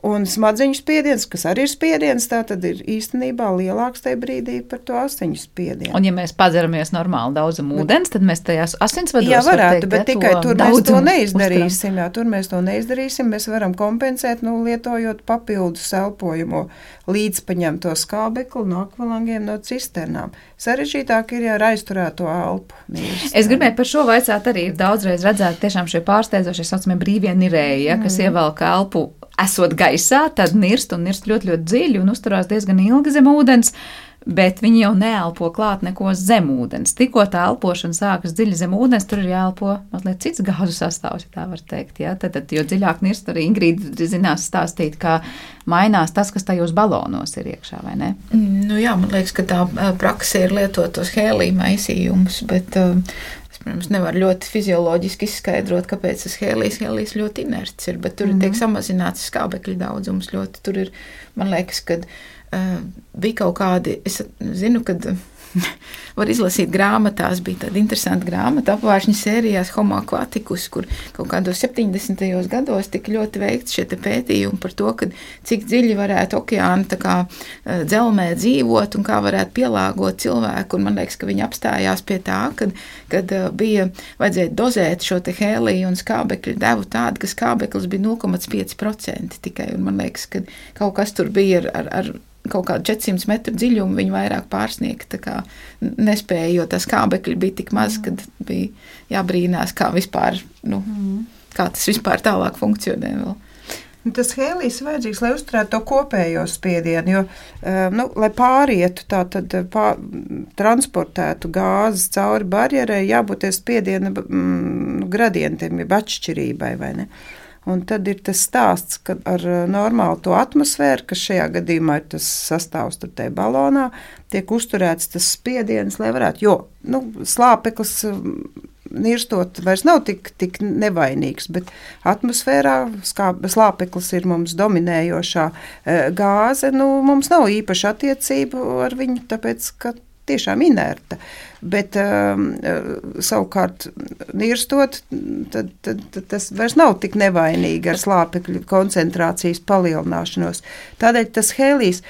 Un smadzeņu spiediens, kas arī ir spiediens, tā tad ir īstenībā lielāks tajā brīdī par to asiņu spiedienu. Un ja mēs padzeramies normāli daudzumu ūdens, tad mēs tajās asinsvados jā, varētu, teikt, bet ja, tikai tur mēs to neizdarīsim. Uztram. Jā, tur mēs to neizdarīsim. Mēs varam kompensēt, nu, lietojot papildus elpojamo līdzpaņemto skābekli no akvalangiem, no cisternām. Sarežģītāk ir, ja ar aizturēto elpu. Nīrst, es gribēju par šo vaicāt arī daudzreiz redzēt tiešām šie pārsteidzošie saucamie brīvie nirēji, ja, kas mm. ievelk elpu esot gaisā, tad nirst un nirst ļoti, ļoti dziļi un uzturās diezgan ilgi zem ūdens, bet viņi jau neelpo klāt neko zem ūdens. Tikko tā elpošana sākas dziļi zem ūdens, tur ir jāelpo mazliet cits gāzu sastāvs, ja tā var teikt. Ja? Tad, tad, jo dziļāk nirst, arī Ingrīda zinās stāstīt, kā mainās tas, kas tajos balonos ir iekšā, vai ne? Nu jā, man liekas, ka tā prakse ir lietot tos hēlija maisījumus, bet uh, es, protams, nevaru ļoti fizioloģiski izskaidrot, kāpēc tas hēlijs, hēlijs ļoti inerts ir, bet tur mm-hmm. tiek samazināts skābekļa daudzums ļoti. Tur ir, man liekas, kad Uh, bija kaut kādi, es zinu, kad var izlasīt grāmatās. Bija tāda interesanta grāmata apvāršņa sērijās Homo aquaticus, kur kaut kādos septiņdesmitajos gados tika ļoti veikts šie pētījumi par to, kad cik dziļi varētu okeāni tā kā dzelmē dzīvot un kā varētu pielāgot cilvēku. Un man liekas, ka viņi apstājās pie tā, kad, kad bija vajadzēja dozēt šo te hēliju un skābekļu devu tādu, ka skābeklis bija nulle komats pieci procenti tikai. Un man liekas, ka kaut kas tur bija ar, ar, ar kaut kādu četrsimt metru dziļumu viņi vairāk pārsniegt, tā kā nespēja, jo tā skābekļi bija tik maz, kad bija jābrīnās, kā vispār, nu, kā tas vispār tālāk funkcionē vēl. Tas hēlijs vajadzīgs, lai uzturētu to kopējo spiedienu, jo, nu, lai pārietu, tā tad pār, transportētu gāzes cauri barjerai, jābūt spiediena mm, gradientiem, jeb atšķirībai, vai ne? Un tad ir tas stāsts, ka ar normālu to atmosfēru, kas šajā gadījumā ir tas sastāvs tur tajā balonā, tiek uzturēts tas spiediens, lai varētu, jo, nu, slāpeklis nirstot vairs nav tik, tik nevainīgs, bet atmosfērā skā, slāpeklis ir mums dominējošā gāze, nu, mums nav īpaši attiecību ar viņu, tāpēc, ka tiešām inerta, bet um, savukārt nirstot, tad, tad, tad tas vairs nav tik nevainīgi ar slāpekļu koncentrācijas palielināšanos. Tādēļ tas hēlijs,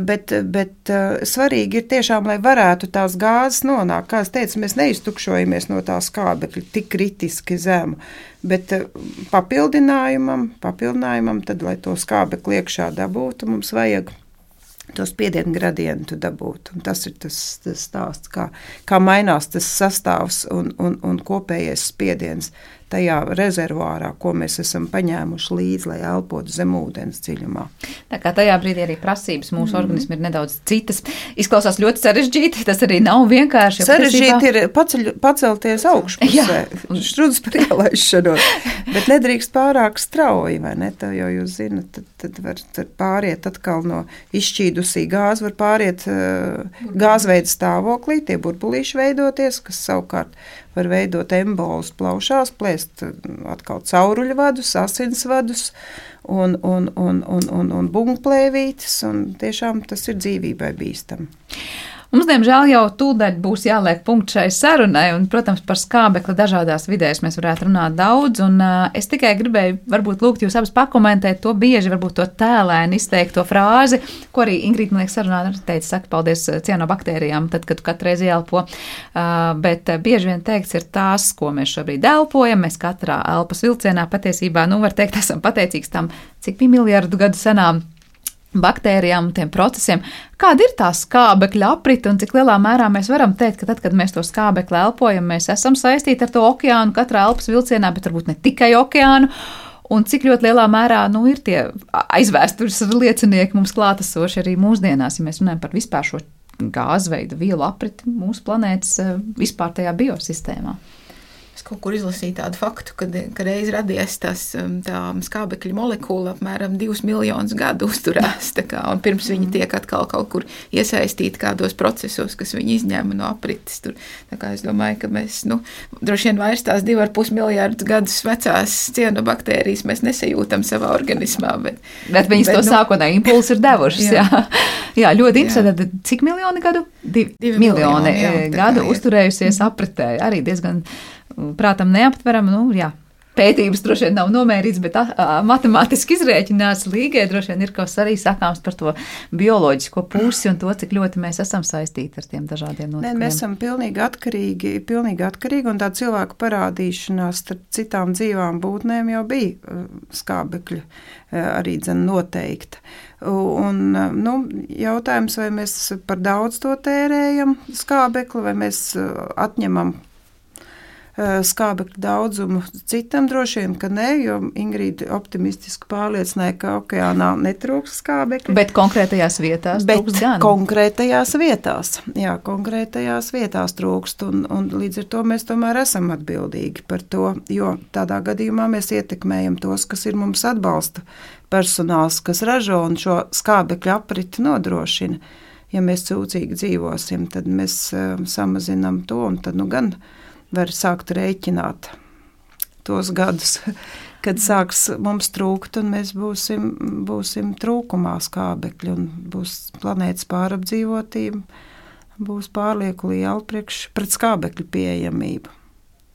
bet, bet uh, svarīgi ir tiešām, lai varētu tās gāzes nonākt. Kā es teicu, mēs neiztukšojamies no tā skābekļa tik kritiski zemu, bet uh, papildinājumam, papildinājumam, tad, lai to skābekli iekšā dabūtu, mums vajag to spiedienu gradientu dabūt. Un tas ir tas, tas stāsts, kā, kā mainās tas sastāvs un, un, un kopējais spiediens tajā rezervuārā, ko mēs esam paņēmuši līdzi, lai elpotu zem ūdens dziļumā. Tā kā tajā brīdī arī prasības mūsu mm. organismi ir nedaudz citas. Izklausās ļoti sarežģīti, tas arī nav vienkārši. Sarežģīti ir paceļ, pacelties augšpusē, šķrudz par ielaišanos, bet nedrīkst pārāk strauji, vai ne? Tā jau jūs zinat, tad, tad var tad pāriet atkal no izšķīdusī gāzi, var pāriet uh, gāzveida stāvoklī, tie burbulīši veidoties, kas savukārt var veidot embolus plaušās, plēst atkal cauruļvadus, asinsvadus un, un, un, un, un, un bungplēvītes, un tiešām tas ir dzīvībai bīstami. Mums, diemžēl, jau tūdaļ būs jāliek punkts šai sarunai, un, protams, par skābekli dažādās vidēs mēs varētu runāt daudz, un uh, es tikai gribēju varbūt lūgt jūs abas pakomentēt to bieži, varbūt to tēlēni izteikto frāzi, ko arī Ingrīda, man liekas, sarunā teica, saka paldies cianobaktērijām, tad, kad tu katru reizi elpo, uh, bet uh, bieži vien teikts ir tās, ko mēs šobrīd elpojam, mēs katrā elpas vilcienā patiesībā, nu, var teikt, esam pateicīgs tam, cik bija miljardu gadu senām baktērijām un tiem procesiem. Kāda ir tā skābekļa aprite un cik lielā mērā mēs varam teikt, ka tad, kad mēs to skābekli elpojam, mēs esam saistīti ar to okeānu katrā elpas vilcienā, bet varbūt ne tikai okeānu, un cik ļoti lielā mērā, nu, ir tie aizvēstures liecinieki mums klātesoši arī mūsdienās, ja mēs runājam par vispār šo gāzveidu vielu apriti mūsu planētas vispār tajā biosistēmā. Es kaut kur izlasīju tādu faktu, kad, kad reiz radies tas, tā skābekļa molekula apmēram divus miljonus gadu uzturās, tā kā, un pirms viņi tiek atkal kaut kur iesaistīti kādos procesos, kas viņi izņēma no aprites. Tur, tā kā es domāju, ka mēs, nu, droši vien vairs tās divi ar pus miljārdus gadus vecās cianobaktērijas mēs nesajūtam savā organismā. Bet, bet viņas bet, to nu, sākotnēji impulsu ir devušas, jā. jā. Jā, ļoti interesanti. Cik miljoni gadu? Divi, Divi miljoni, miljoni jā, gadu kā, uzturējusies apritē. Arī diezgan prātam neaptveram, nu, jā. Pētības droši vien nav nomērīts, bet a, a, matemātiski izrēķinās līgai droši vien ir kaut kas arī sakāms par to bioloģisko pusi un to, cik ļoti mēs esam saistīti ar tiem dažādiem notikumiem. Nē, mēs esam pilnīgi atkarīgi, pilnīgi atkarīgi, un tā cilvēku parādīšanās starp citām dzīvām būtnēm jau bija skābekļa arī dzen noteikta. Un, nu, jautājums, vai mēs par daudz to tērējam skābekli, vai mēs atņemam skābekļa daudzumu citam droši vien, ka ne, jo Ingrīda optimistiski pārliecināja, ka okeānā netrūks skābekļa. Bet konkrētajās vietās Bet trūks gan. konkrētajās vietās, jā, konkrētajās vietās trūkst, un, un līdz ar to mēs tomēr esam atbildīgi par to, jo tādā gadījumā mēs ietekmējam tos, kas ir mums atbalsta personāls, kas ražo un šo skābekļa apriti nodrošina. Ja mēs cūcīgi dzīvosim, tad mēs uh, samazinām to, un tad nu gan var sākt rēķināt tos gadus, kad sāks mums trūkt, un mēs būsim, būsim trūkumā skābekļa, un būs planētas pārapdzīvotība, būs pārlieku liela priekš pret skābekļa pieejamību.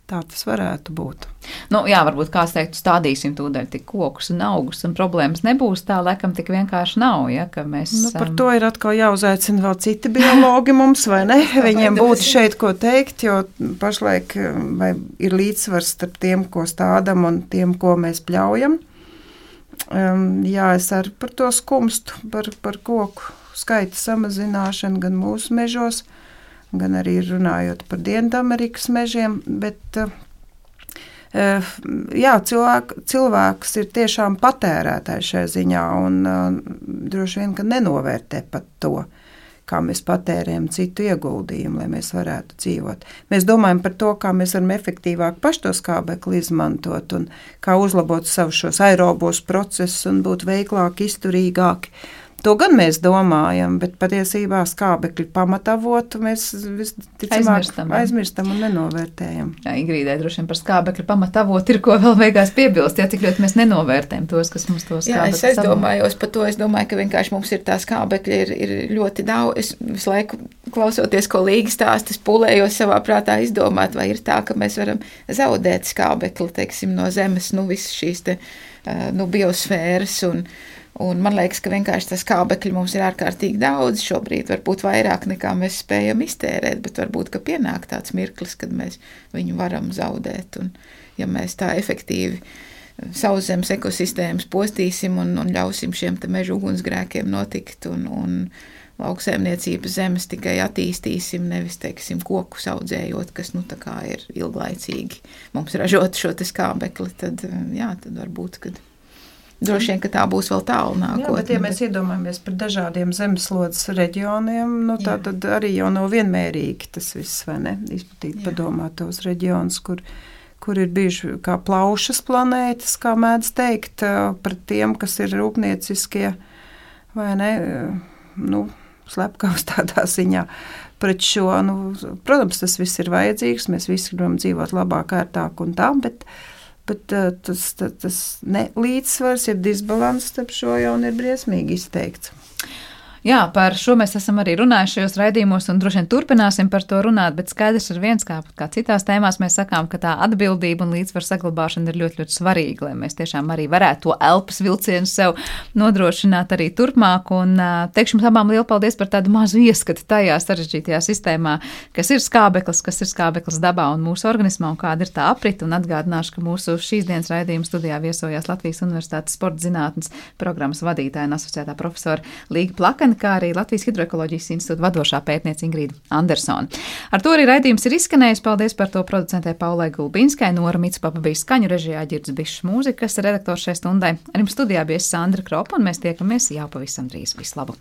Tā tas varētu būt. Nu, jā, varbūt kāds teikt, stādīsim tūdaļ tik kokus un augus, un problēmas nebūs, tā laikam tik vienkārši nav, ja, ka mēs... Nu, par to ir atkal jāuzaicina vēl citi biologi mums, vai ne? Viņiem būtu šeit ko teikt, jo pašlaik vai ir līdzsvars starp tiem, ko stādam, un tiem, ko mēs pļaujam. Um, jā, es arī par to skumstu, par, par koku skaita samazināšanu gan mūsu mežos, gan arī runājot par Dienvidamerikas mežiem, bet jā, cilvēk, cilvēks ir tiešām patērētājs šajā ziņā un droši vien, ka nenovērtē pat to, kā mēs patērējam citu ieguldījumu, lai mēs varētu dzīvot. Mēs domājam par to, kā mēs varam efektīvāk paši to skābekli izmantot un kā uzlabot savus šos aerobos procesus un būt veiklāki, izturīgāki. To gan mēs domājam, bet patiesībā skābekļu pamatavotu mēs visticamāk aizmirstam, aizmirstam un nenovērtējam. Jā, Ingrīdai droši vien par skābekļu pamatavotu ir ko vēl beigās piebilst, ja cik ļoti mēs nenovērtējam tos, kas mums to skābekļu. Jā, es aizdomājos par to, es domāju, ka vienkārši mums ir tā skābekļa ir, ir ļoti daudz. Es visu laiku klausoties, ko Līga stāsta, es pūlējos savā prātā izdomāt, vai ir tā, ka mēs varam zaudēt skābekli, teiksim, no zemes, nu visas šīs te, nu, biosfēras un Un man liekas, ka vienkārši tas skābekļi mums ir ārkārtīgi daudz šobrīd, varbūt vairāk nekā mēs spējam iztērēt, bet varbūt, ka pienāk tāds mirklis, kad mēs viņu varam zaudēt. Un ja mēs tā efektīvi sauszemes ekosistēmas postīsim un, un ļausim šiem te mežu ugunsgrēkiem notikt un, un lauksaimniecības zemes tikai attīstīsim, nevis, teiksim, koku audzējot, kas, nu, tā kā ir ilglaicīgi mums ražot šo te skābekli, tad, jā, tad varbūt, kad droši vien, ka tā būs vēl tālu nākotnē. Jā, bet ja mēs iedomājamies par dažādiem zemeslodes reģioniem, nu tā Jā. Tad arī jau nav vienmērīgi tas viss, vai ne? Izplatīt, Jā. Padomāt tos reģionus, kur, kur ir bijuši kā plaušas planētas, kā mēdz teikt, par tiem, kas ir rūpnieciskie, vai ne, nu, slepkavas tādā ziņā. Pret šo, nu, protams, tas viss ir vajadzīgs, mēs visi gribam dzīvot labāk, ērtāk un tā, bet bet tas, tas, tas ne, līdzsvars, ir disbalans starp šo jau un ir briesmīgi izteikts. Jā, par šo mēs esam arī runājuši šajos raidījumos un droši vien turpināsim par to runāt, bet skaidrs ir viens, kā, kā citās tēmās mēs sakām, ka tā atbildība un līdzsvaru saglabāšana ir ļoti, ļoti svarīga, lai mēs tiešām arī varētu to elpas vilcienu sev nodrošināt arī turpmāk. Un teikšu jums abām lielu paldies par tādu mazu ieskatu tajā sarežģītajā sistēmā, kas ir skābeklis, kas ir skābeklis dabā un mūsu organismā un kāda ir tā aprita. Un atgādināšu, ka mūsu šīs dienas raidījuma studijā viesojās Latvijas Universitātes sporta zinātnes programmas vadītāja un asociētā profesora Līga Plakane, kā arī Latvijas Hidroekoloģijas institūta vadošā pētniece Ingrīda Andersone. Ar to arī raidījums ir izskanējis. Paldies par to producentē Paulai Gulbinskai, Nora Mitspapa bija skaņu režijā, Ģirds Bišs mūzikas redaktors šai stundai. Ar jums studijā bija Sandra Kropa un mēs tiekamies jau pavisam drīz. Visu labu!